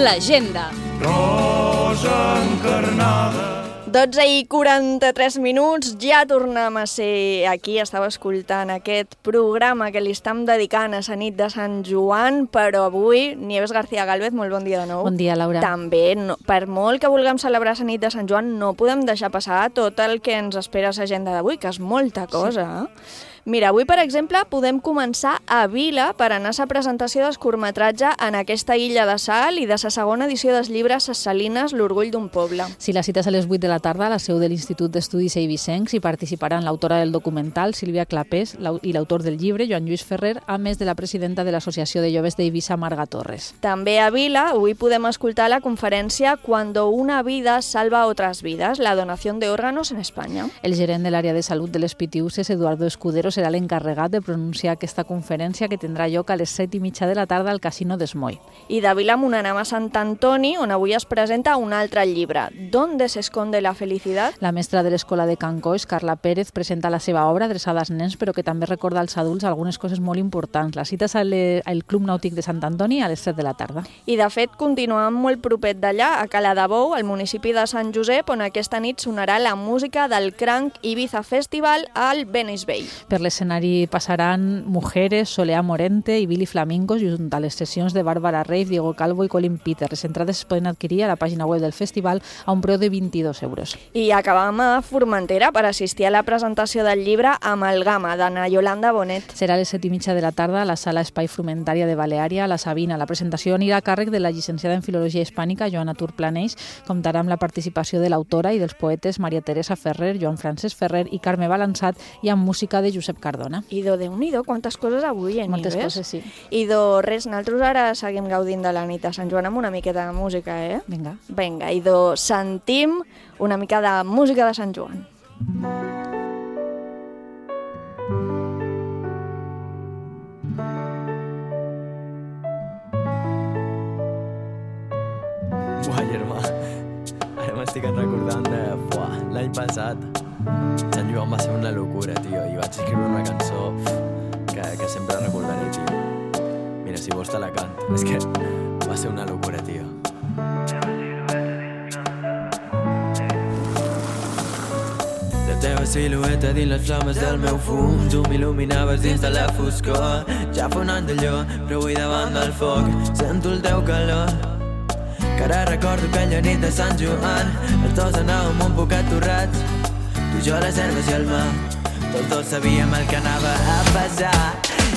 L'agenda. Rosa encarnada. dotze i quaranta-tres minuts, ja tornem a ser aquí. Estava escoltant aquest programa que li estem dedicant a la nit de Sant Joan, però avui, Nieves García Gálvez, molt bon dia de nou. Bon dia, Laura. També, no, per molt que vulguem celebrar la nit de Sant Joan, no podem deixar passar tot el que ens espera a l'agenda d'avui, que és molta cosa. Sí. Mira, avui, per exemple, podem començar a Vila per anar a la presentació del curtmetratge En aquesta illa de sal i de la segona edició dels llibres Ses Salines, l'orgull d'un poble. Sí, la cita és a les vuit de la tarda a la seu de l'Institut d'Estudis Eivissencs i participaran l'autora del documental, Sílvia Clapés, i l'autor del llibre, Joan Lluís Ferrer, a més de la presidenta de l'Associació de Joves d'Eivissa, Marga Torres. També a Vila, avui podem escoltar la conferència Cuando una vida salva otras vidas, la donación de órganos en España. El gerent de l'àrea de salut de les Pitiuses, Eduardo Escudero, serà l'encarregat de pronunciar aquesta conferència que tindrà lloc a les set i mitja de la tarda al Casino d'Esmoi. I de Vilamunt anem a Sant Antoni, on avui es presenta un altre llibre, ¿Dónde se esconde la felicidad? La mestra de l'Escola de Can Coix, Carla Pérez, presenta la seva obra adreçada als nens, però que també recorda als adults algunes coses molt importants. La cita és al Club Nàutic de Sant Antoni a les set de la tarda. I de fet, continuem molt propet d'allà, a Cala de Bou, al municipi de Sant Josep, on aquesta nit sonarà la música del Cranc Ibiza Festival al Venice Bay. Per l'escenari passaran Mujeres, Soleá Morente i Billy Flamingos, junt a les sessions de Bàrbara Reif, Diego Calvo i Colin Peter. Les entrades es poden adquirir a la pàgina web del festival a un preu de vint-i-dos euros. I acabam a Formentera per assistir a la presentació del llibre Amalgama, d'Anna Yolanda Bonet. Serà a les set i mitja de la tarda a la sala Espai Frumentària de Baleària, a la Sabina. La presentació anirà a càrrec de la llicenciada en Filologia Hispànica, Joana Turplaneix. Comptarà amb la participació de l'autora i dels poetes Maria Teresa Ferrer, Joan Francesc Ferrer i Carme Balançat, i amb música de Josep Cardona. I do, Déu-n'hi-do, quantes coses avui, eh, Moltes Nieves? coses, sí. I do, res, nosaltres ara seguim gaudint de la nit de Sant Joan amb una miqueta de música, eh? Vinga. Vinga, i do, sentim una mica de música de Sant Joan. Buah, germà, ara m'estic recordant de... Buah, l'any passat Sant Joan va ser una locura, tio, i vaig escriure una cançó que, que sempre recordaré, tio. Mira, si vols te la canto. És que va ser una locura, tio. La teva silueta dins les flames del meu fum, tu m'il·luminaves dins de la foscor. Ja fa un any d'allò, però avui davant del foc sento el teu calor. Que ara recordo aquella nit de Sant Joan, els dos anàvem un poc aturrats, tu i jo les herbes i el mar, tots dos sabíem el que anava a passar.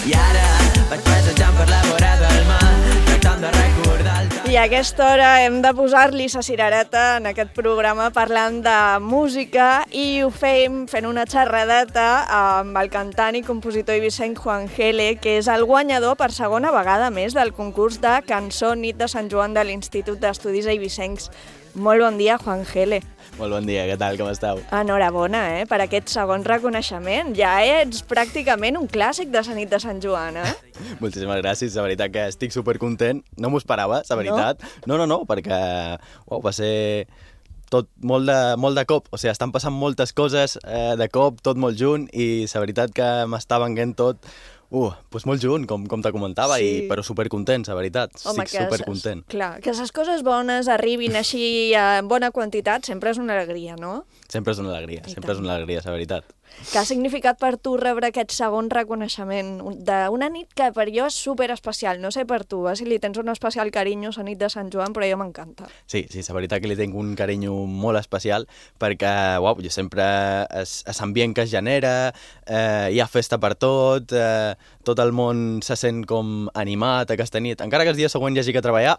I ara vaig passejant per la vora del mar, tractant de recordar el... I a aquesta hora hem de posar-li sa cirereta en aquest programa parlant de música i ho fem fent una xerradeta amb el cantant i compositor eivissenc Juan Gele, que és el guanyador per segona vegada més del concurs de cançó Nit de Sant Joan de l'Institut d'Estudis Eivissencs. Molt bon dia, Juan Gele. Molt bon dia, què tal, com esteu? Enhorabona, eh, per aquest segon reconeixement. Ja ets pràcticament un clàssic de la nit de Sant Joan, eh? Moltíssimes gràcies, la veritat que estic supercontent. No m'ho esperava, la veritat. No, no, no, no perquè uau, va ser tot molt de, molt de cop. O sigui, estan passant moltes coses eh, de cop, tot molt junt, i la veritat que m'està venguent tot... Uh, doncs molt junt, com, com te comentava, sí. i, però supercontents, la veritat. Home, estic supercontent. Clar, que les coses bones arribin així en bona quantitat sempre és una alegria, no? Sempre és una alegria, I sempre tant. és una alegria, la veritat. Què ha significat per tu rebre aquest segon reconeixement d'una nit que per jo és superespecial? No sé per tu, eh, si li tens un especial carinyo a la nit de Sant Joan, però jo m'encanta. Sí, sí, la veritat que li tinc un carinyo molt especial perquè, uau, jo sempre, l'ambient que es genera, eh, hi ha festa per tot, eh, tot el món se sent com animat aquesta nit. Encara que el dia següent hi hagi que treballar,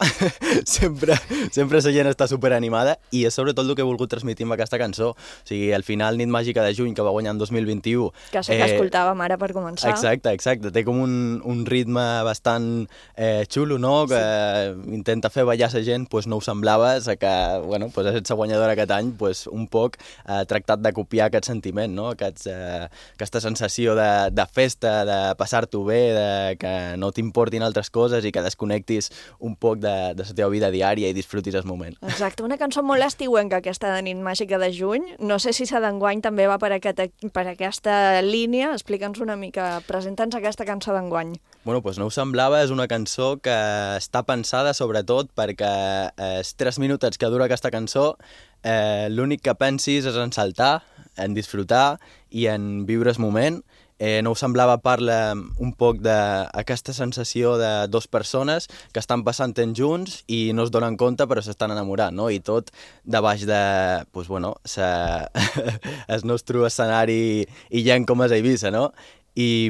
sempre, sempre la gent està superanimada, i és sobretot el que he volgut transmetre amb aquesta cançó. O sigui, al final, Nit Màgica de Juny, que va guanyar en dos mil vint-i-u... Que sé que eh, escoltàvem ara per començar. Exacte, exacte. Té com un, un ritme bastant eh, xulo, no? Que sí. Intenta fer ballar la gent, pues no ho semblava, que, bueno, pues és la guanyadora aquest any, pues un poc eh, tractat de copiar aquest sentiment, no? Aquests, eh, aquesta sensació de, de festa, de passar-t'ho bé, de que no t'importin altres coses i que desconnectis un poc de, de la teva vida diària i disfrutis el moment. Exacte, una cançó molt estiuenca aquesta de Nit Màgica de Juny. No sé si la d'enguany també va per aquest per aquesta línia, explica'ns una mica, presenta'ns aquesta cançó d'enguany. Bueno, doncs No ho semblava és una cançó que està pensada sobretot perquè els tres minutets que dura aquesta cançó eh, l'únic que pensis és en saltar, en disfrutar i en viure el moment. Eh, No ho semblava parla un poc d'aquesta sensació de dues persones que estan passant temps junts i no es donen compte però s'estan enamorant, no? I tot de baix de, pues, bueno, sa... el nostre escenari i gent com és a Eivissa, no? I,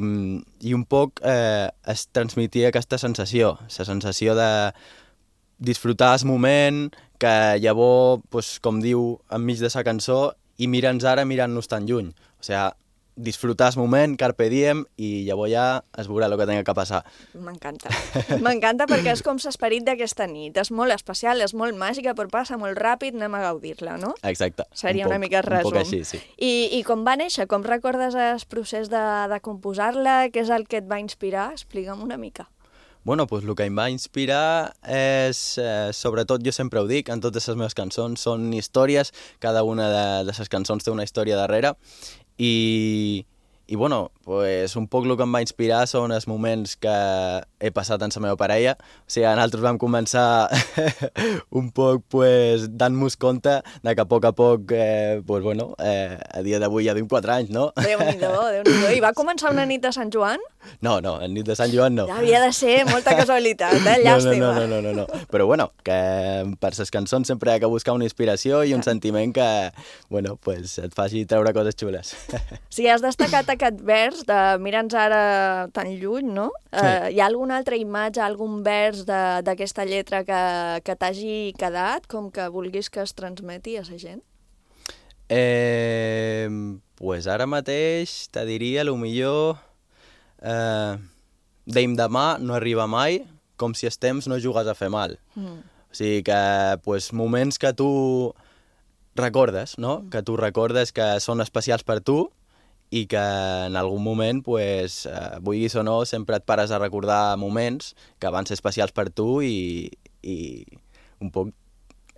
i un poc eh, es transmetia aquesta sensació, la sensació de disfrutar el moment, que llavors, pues, com diu enmig de la cançó, i mira'ns ara mirant-nos tan lluny. O sigui, disfrutar el moment, carpe diem, i llavors ja es veurà el que tenga que passar. M'encanta. M'encanta perquè és com l'esperit d'aquesta nit. És molt especial, és molt màgica, però passa molt ràpid, anem a gaudir-la, no? Exacte. Seria un una poc, mica el resum. Un poc així, sí. I, I com va néixer? Com recordes el procés de, de composar-la? Què és el que et va inspirar? Explica'm una mica. Bueno, doncs el que em va inspirar és, eh, sobretot jo sempre ho dic, en totes les meves cançons són històries, cada una de, de les cançons té una història darrere, i, i bueno, pues, un poc el que em va inspirar són els moments que he passat amb la meva parella. O sigui, nosaltres vam començar un poc pues, dant-nos compte de que a poc a poc, eh, pues, bueno, eh, a dia d'avui ja duim quatre anys, no? Déu-n'hi-do, Déu-n'hi-do. I va començar una nit de Sant Joan? No, no, en nit de Sant Joan no. Ja havia de ser molta casualitat, eh? Llàstima. No, no, no, no, no, no. Però bueno, que per les cançons sempre hi ha que buscar una inspiració i un sentiment que, bueno, pues et faci treure coses xules. Si has destacat aquest vers de mira'ns ara tan lluny, no? Sí. Eh, hi ha alguna altra imatge, algun vers d'aquesta lletra que, que t'hagi quedat, com que vulguis que es transmeti a la gent? Eh, pues ara mateix te diria, a lo millor, eh, deim demà no arriba mai, com si el temps no jugues a fer mal. Mm. O sigui que, pues, moments que tu recordes, no? Mm. Que tu recordes que són especials per tu, i que en algun moment, pues, eh, vulguis o no, sempre et pares a recordar moments que van ser especials per tu i, i un poc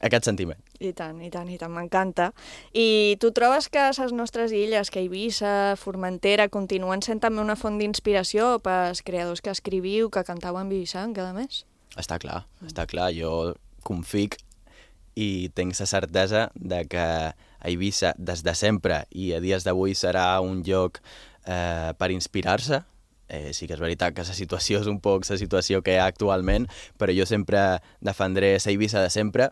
aquest sentiment. I tant, i tant, i tant, m'encanta. I tu trobes que les nostres illes, que Eivissa, Formentera, continuen sent també una font d'inspiració pels creadors que escriviu, que cantau en Vivissanc cada mes? Està clar, mm. està clar. Jo confic i tinc la certesa de que a Eivissa des de sempre i a dies d'avui serà un lloc eh, per inspirar-se. Eh, sí que és veritat que la situació és un poc la situació que hi ha actualment, però jo sempre defendré la Eivissa de sempre,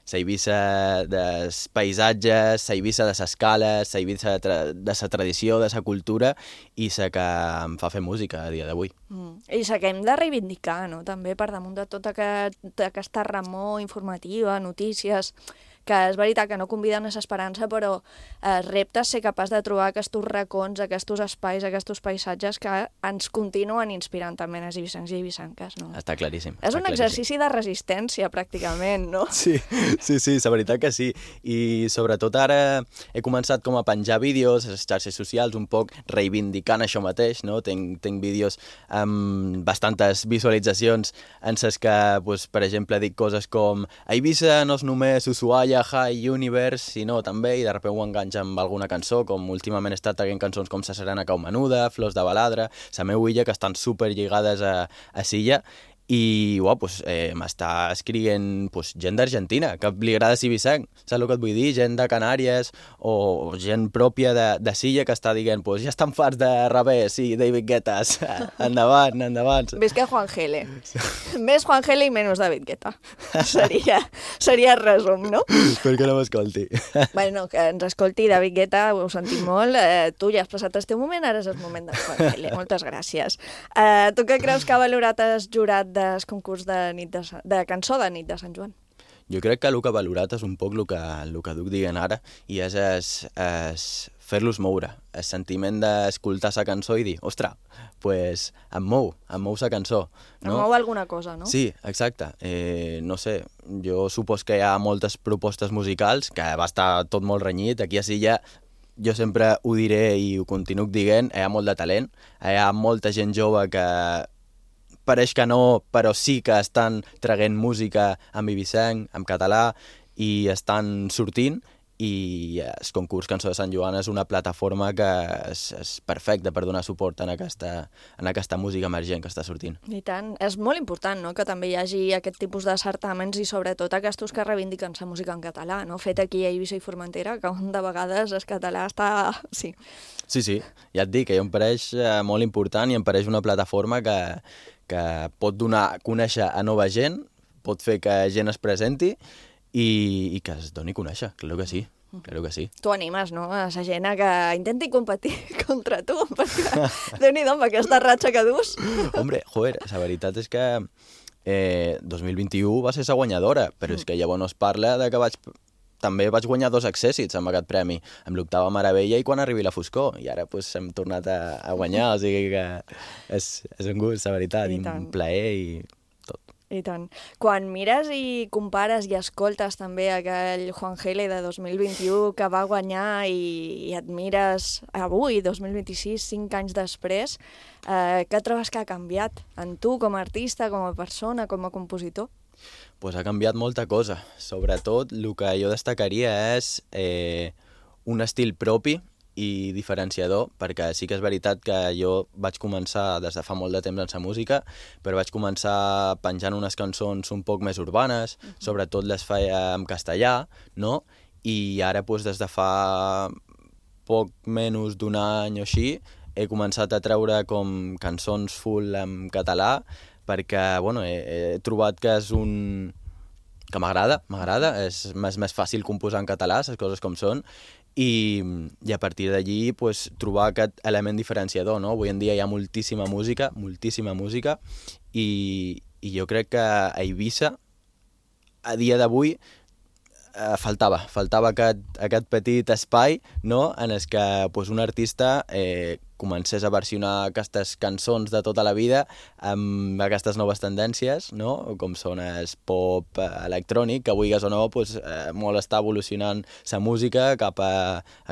la Eivissa dels paisatges, la Eivissa de les cales, la Eivissa de, tra de la tradició, de la cultura, i la que em fa fer música a dia d'avui. Mm. I la que hem de reivindicar, no? També per damunt de tota aquest, aquesta remor informativa, notícies, que és veritat que no conviden a l'esperança, però eh, repte ser capaç de trobar aquests racons, aquests espais, aquests paisatges que ens continuen inspirant també els eivissancs i eivissanques, no? Està claríssim. És està un claríssim. exercici de resistència, pràcticament, no? Sí, sí, sí, la veritat que sí. I sobretot ara he començat com a penjar vídeos a les xarxes socials, un poc reivindicant això mateix, no? Tinc, tinc vídeos amb bastantes visualitzacions en les que, pues, per exemple, dic coses com a Eivissa no és només Ushuaia, High Universe, sinó també, i de sobte ho enganxa amb alguna cançó, com últimament he estat traient cançons com Sa Serena Cau Menuda, Flors de Baladre, la meva illa, que estan super lligades a, a Silla, i uau, pues, eh, m'està escrivint pues, gent d'Argentina, que li agrada Eivissanc, saps el que et vull dir? Gent de Canàries o gent pròpia de, de Silla que està dient, pues, ja estan farts de Rabé, sí, David Guetta, endavant, endavant. Visca Juan Gele. Més Juan Gele i menys David Guetta. Seria, seria el resum, no? Per què no m'escolti? Bueno, que ens escolti David Guetta, ho sentim molt. Eh, tu ja has passat el teu moment, ara és el moment de Juan Gele. Moltes gràcies. Eh, tu què creus que ha valorat el jurat del concurs de, nit de, de cançó de nit de Sant Joan? Jo crec que el que ha valorat és un poc el que, el que duc dient ara, i és, és, és fer-los moure, el sentiment d'escoltar la cançó i dir, ostres, pues, em mou, em mou la cançó. No? Em mou alguna cosa, no? Sí, exacte. Eh, no sé, jo supos que hi ha moltes propostes musicals, que va estar tot molt renyit, aquí a Silla jo sempre ho diré i ho continuo dient, hi ha molt de talent, hi ha molta gent jove que pareix que no, però sí que estan traient música en eivissenc, en català, i estan sortint, i el concurs Cançó de Sant Joan és una plataforma que és, és perfecta per donar suport en aquesta, en aquesta música emergent que està sortint. I tant. És molt important, no?, que també hi hagi aquest tipus de certàmens i sobretot aquests que reivindiquen la música en català, no?, fet aquí a Eivissa i Formentera, que de vegades el català està... Sí. Sí, sí, ja et dic, que em pareix eh, molt important i em pareix una plataforma que, que pot donar a conèixer a nova gent, pot fer que gent es presenti i, i que es doni a conèixer, clar que sí, clar que sí. Tu animes, no?, a la gent que intenti competir contra tu, perquè Déu-n'hi-do amb aquesta ratxa que dus. Hombre, joder, la veritat és que eh, dos mil vint-i-u va ser la guanyadora, però és que llavors es parla de que vaig... També vaig guanyar dos accèssits amb aquest premi, amb l'Octava Meravella i Quan arribi la foscor, i ara pues, hem tornat a, a guanyar, o sigui que és, és un gust, la veritat, i, i un plaer i... I tant. Quan mires i compares i escoltes també aquell Juan Gele de dos mil vint-i-u que va guanyar i, i admires avui, dos mil vint-i-sis, cinc anys després, eh, què trobes que ha canviat en tu com a artista, com a persona, com a compositor? Pues ha canviat molta cosa. Sobretot, el que jo destacaria és eh, un estil propi i diferenciador, perquè sí que és veritat que jo vaig començar des de fa molt de temps en la música, però vaig començar penjant unes cançons un poc més urbanes, uh-huh. sobretot les feia en castellà, no? I ara, doncs, des de fa poc menys d'un any o així, he començat a treure com cançons full en català, perquè, bueno, he, he trobat que és un... que m'agrada, m'agrada, és més, més fàcil composar en català, les coses com són, I, i a partir d'allí pues, trobar aquest element diferenciador, no? Avui en dia hi ha moltíssima música, moltíssima música, i, i jo crec que a Eivissa, a dia d'avui, eh, faltava, faltava aquest, aquest petit espai, no?, en el que pues, un artista eh, comencés a versionar aquestes cançons de tota la vida amb aquestes noves tendències, no?, com són el pop electrònic, que vulguis o no, pues, eh, molt està evolucionant la música cap a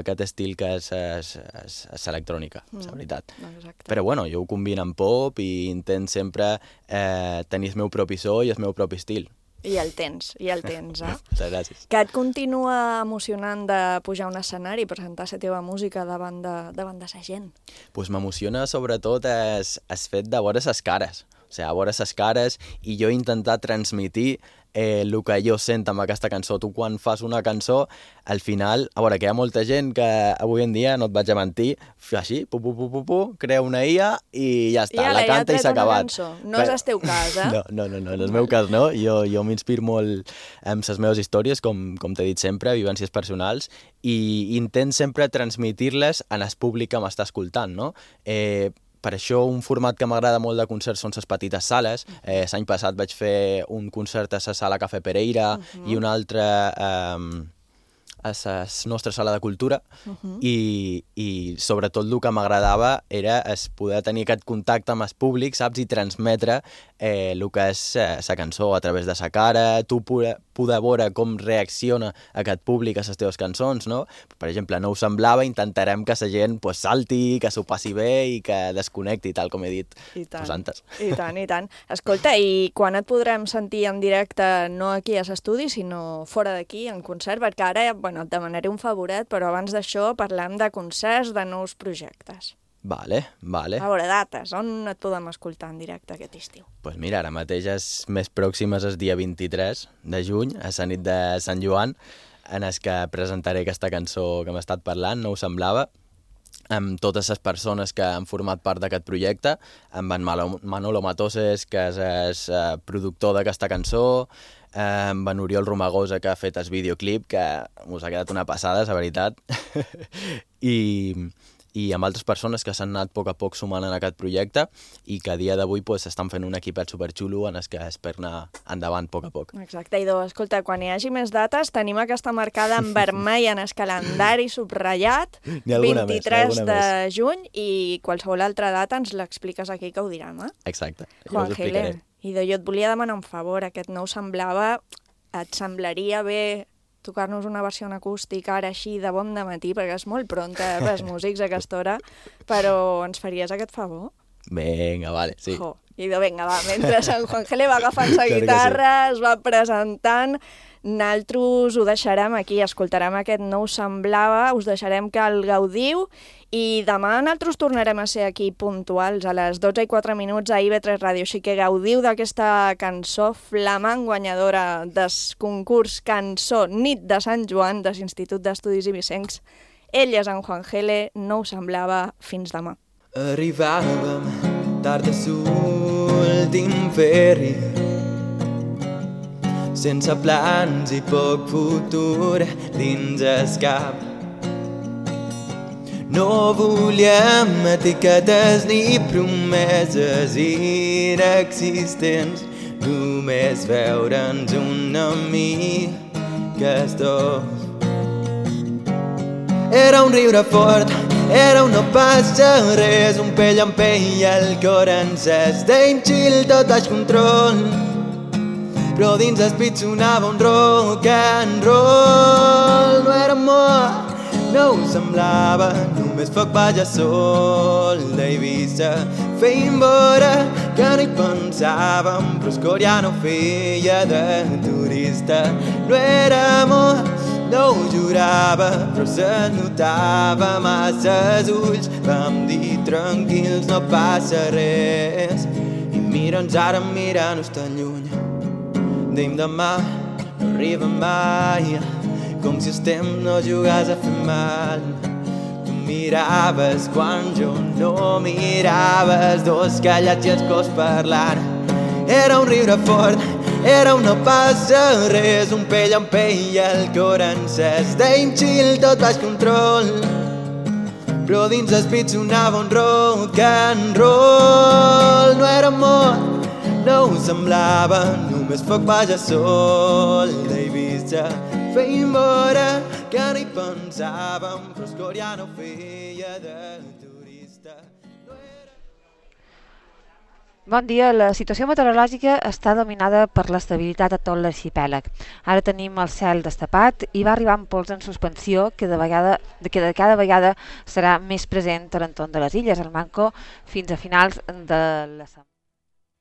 aquest estil que és, és, és, és electrònica, mm. és la veritat. Exacte. Però bueno, jo ho combino amb pop i intent sempre eh, tenir el meu propi so i el meu propi estil. I el tens, i el tens, eh? Moltes gràcies. Que et continua emocionant de pujar a un escenari i presentar la teva música davant de, davant de la gent? Pues m'emociona sobretot el, el fet de veure les cares. O sigui, veure les cares i jo intentar transmitir eh, el que jo sento amb aquesta cançó. Tu quan fas una cançó, al final, a veure, que hi ha molta gent que avui en dia, no et vaig a mentir, fa així, pu, pu, pu, pu, pu, crea una I A i ja està, I la canta i s'ha acabat. No és el teu cas, eh? No, no, no, no, en el meu cas no. Jo, jo m'inspiro molt amb les meves històries, com, com t'he dit sempre, vivències personals, i intent sempre transmitir-les en el públic que m'està escoltant, no? Eh, Per això un format que m'agrada molt de concerts són les petites sales. Eh, l'any passat vaig fer un concert a la sala Cafè Pereira uh-huh. i un altre eh, a la nostra sala de cultura uh-huh. i, i sobretot el que m'agradava era es poder tenir aquest contacte amb el públic, saps? I transmetre eh, el que és la eh, cançó a través de sa cara, tu poder, poder veure com reacciona aquest públic a les teves cançons, no? Per exemple, No ho semblava, intentarem que la gent pues, salti, que s'ho passi bé i que desconnecti, tal com he dit pues, antes. I tant, i tant. Escolta, i quan et podrem sentir en directe, no aquí a l'estudi, sinó fora d'aquí, en concert? Perquè ara, bueno, et demanaré un favoret, però abans d'això parlem de concerts, de nous projectes. Vale, vale. A veure, dates, on et podem escoltar en directe aquest estiu? Doncs pues mira, ara mateix és més pròximes el dia vint-i-tres de juny, a la nit de Sant Joan, en el que presentaré aquesta cançó que m'he estat parlant, No ho semblava, amb totes les persones que han format part d'aquest projecte, amb en Manolo Matoses, que és el productor d'aquesta cançó, amb en Oriol Romagosa, que ha fet el videoclip, que us ha quedat una passada, és la veritat, i... i amb altres persones que s'han anat a poc a poc sumant en aquest projecte i que a dia d'avui pues, estan fent un equipet superxulo en el que espero anar endavant a poc a poc. Exacte, Idò, escolta, quan hi hagi més dates tenim aquesta marcada en vermell en el calendari subratllat, vint-i-tres de juny, i qualsevol altra data ens l'expliques aquí que ho direm, eh? Exacte, jo Juan us explicaré. Gele, Idò, jo et volia demanar un favor, aquest No ho semblava, et semblaria bé tocar-nos una versió acústica ara així de bon dematí, perquè és molt pronta eh, pels músics a aquesta hora, però ens faries aquest favor? Vinga, vale, sí. Jo, i de vinga, va, mentre en Juan Gele va agafant la guitarra, es va presentant, nosaltres ho deixarem aquí, escoltarem aquest No ho semblava, us deixarem que el gaudiu i demà nosaltres tornarem a ser aquí puntuals a les dotze i quatre minuts a I V tres Ràdio, així que gaudiu d'aquesta cançó flamant guanyadora del concurs Cançó Nit de Sant Joan de l'Institut d'Estudis Ibisencs. Ell és en Juan Gele, No ho semblava, fins demà. Arribàvem tard a l'últim ferri, sense plans i poc futur dins el cap. No volíem etiquetes ni promeses inexistents, només veure'ns una mica els dos. Era un riure fort, era un no passa res, un pell en pell, el cor encès, deim chill tot baix control, però dins el pit sonava un rock and roll. No era amor, no ho semblava, només foc balla sol d'Eivissa. Feim veure que no hi pensàvem, però el cor ja no feia de turista. No era amor, no ho jurava, però se notava massa els ulls. Vam dir tranquils, no passa res, i mira'ns ara mirant-nos tan lluny. Deim demà no arriba mai, com si el temps no jugàs a fer mal. Tu miraves quan jo no mirava, els dos callats i els cos parlant. Era un riure fort, era un no passa res, un pell en pell, el cor encès. Deim chill tot baix control, però dins el pit sonava un rock and roll. No era amor, no ho semblava, només foc balla sol d'Eivissa. Feim veure que no hi pensàvem, però el cor ja no feia de turista. Bon dia. La situació meteorològica està dominada per l'estabilitat a tot l'arxipèlag. Ara tenim el cel destapat i va arribant pols en suspensió que de, vegada, que de cada vegada serà més present a l'entorn de les illes, al Manco, fins a finals de la setmana.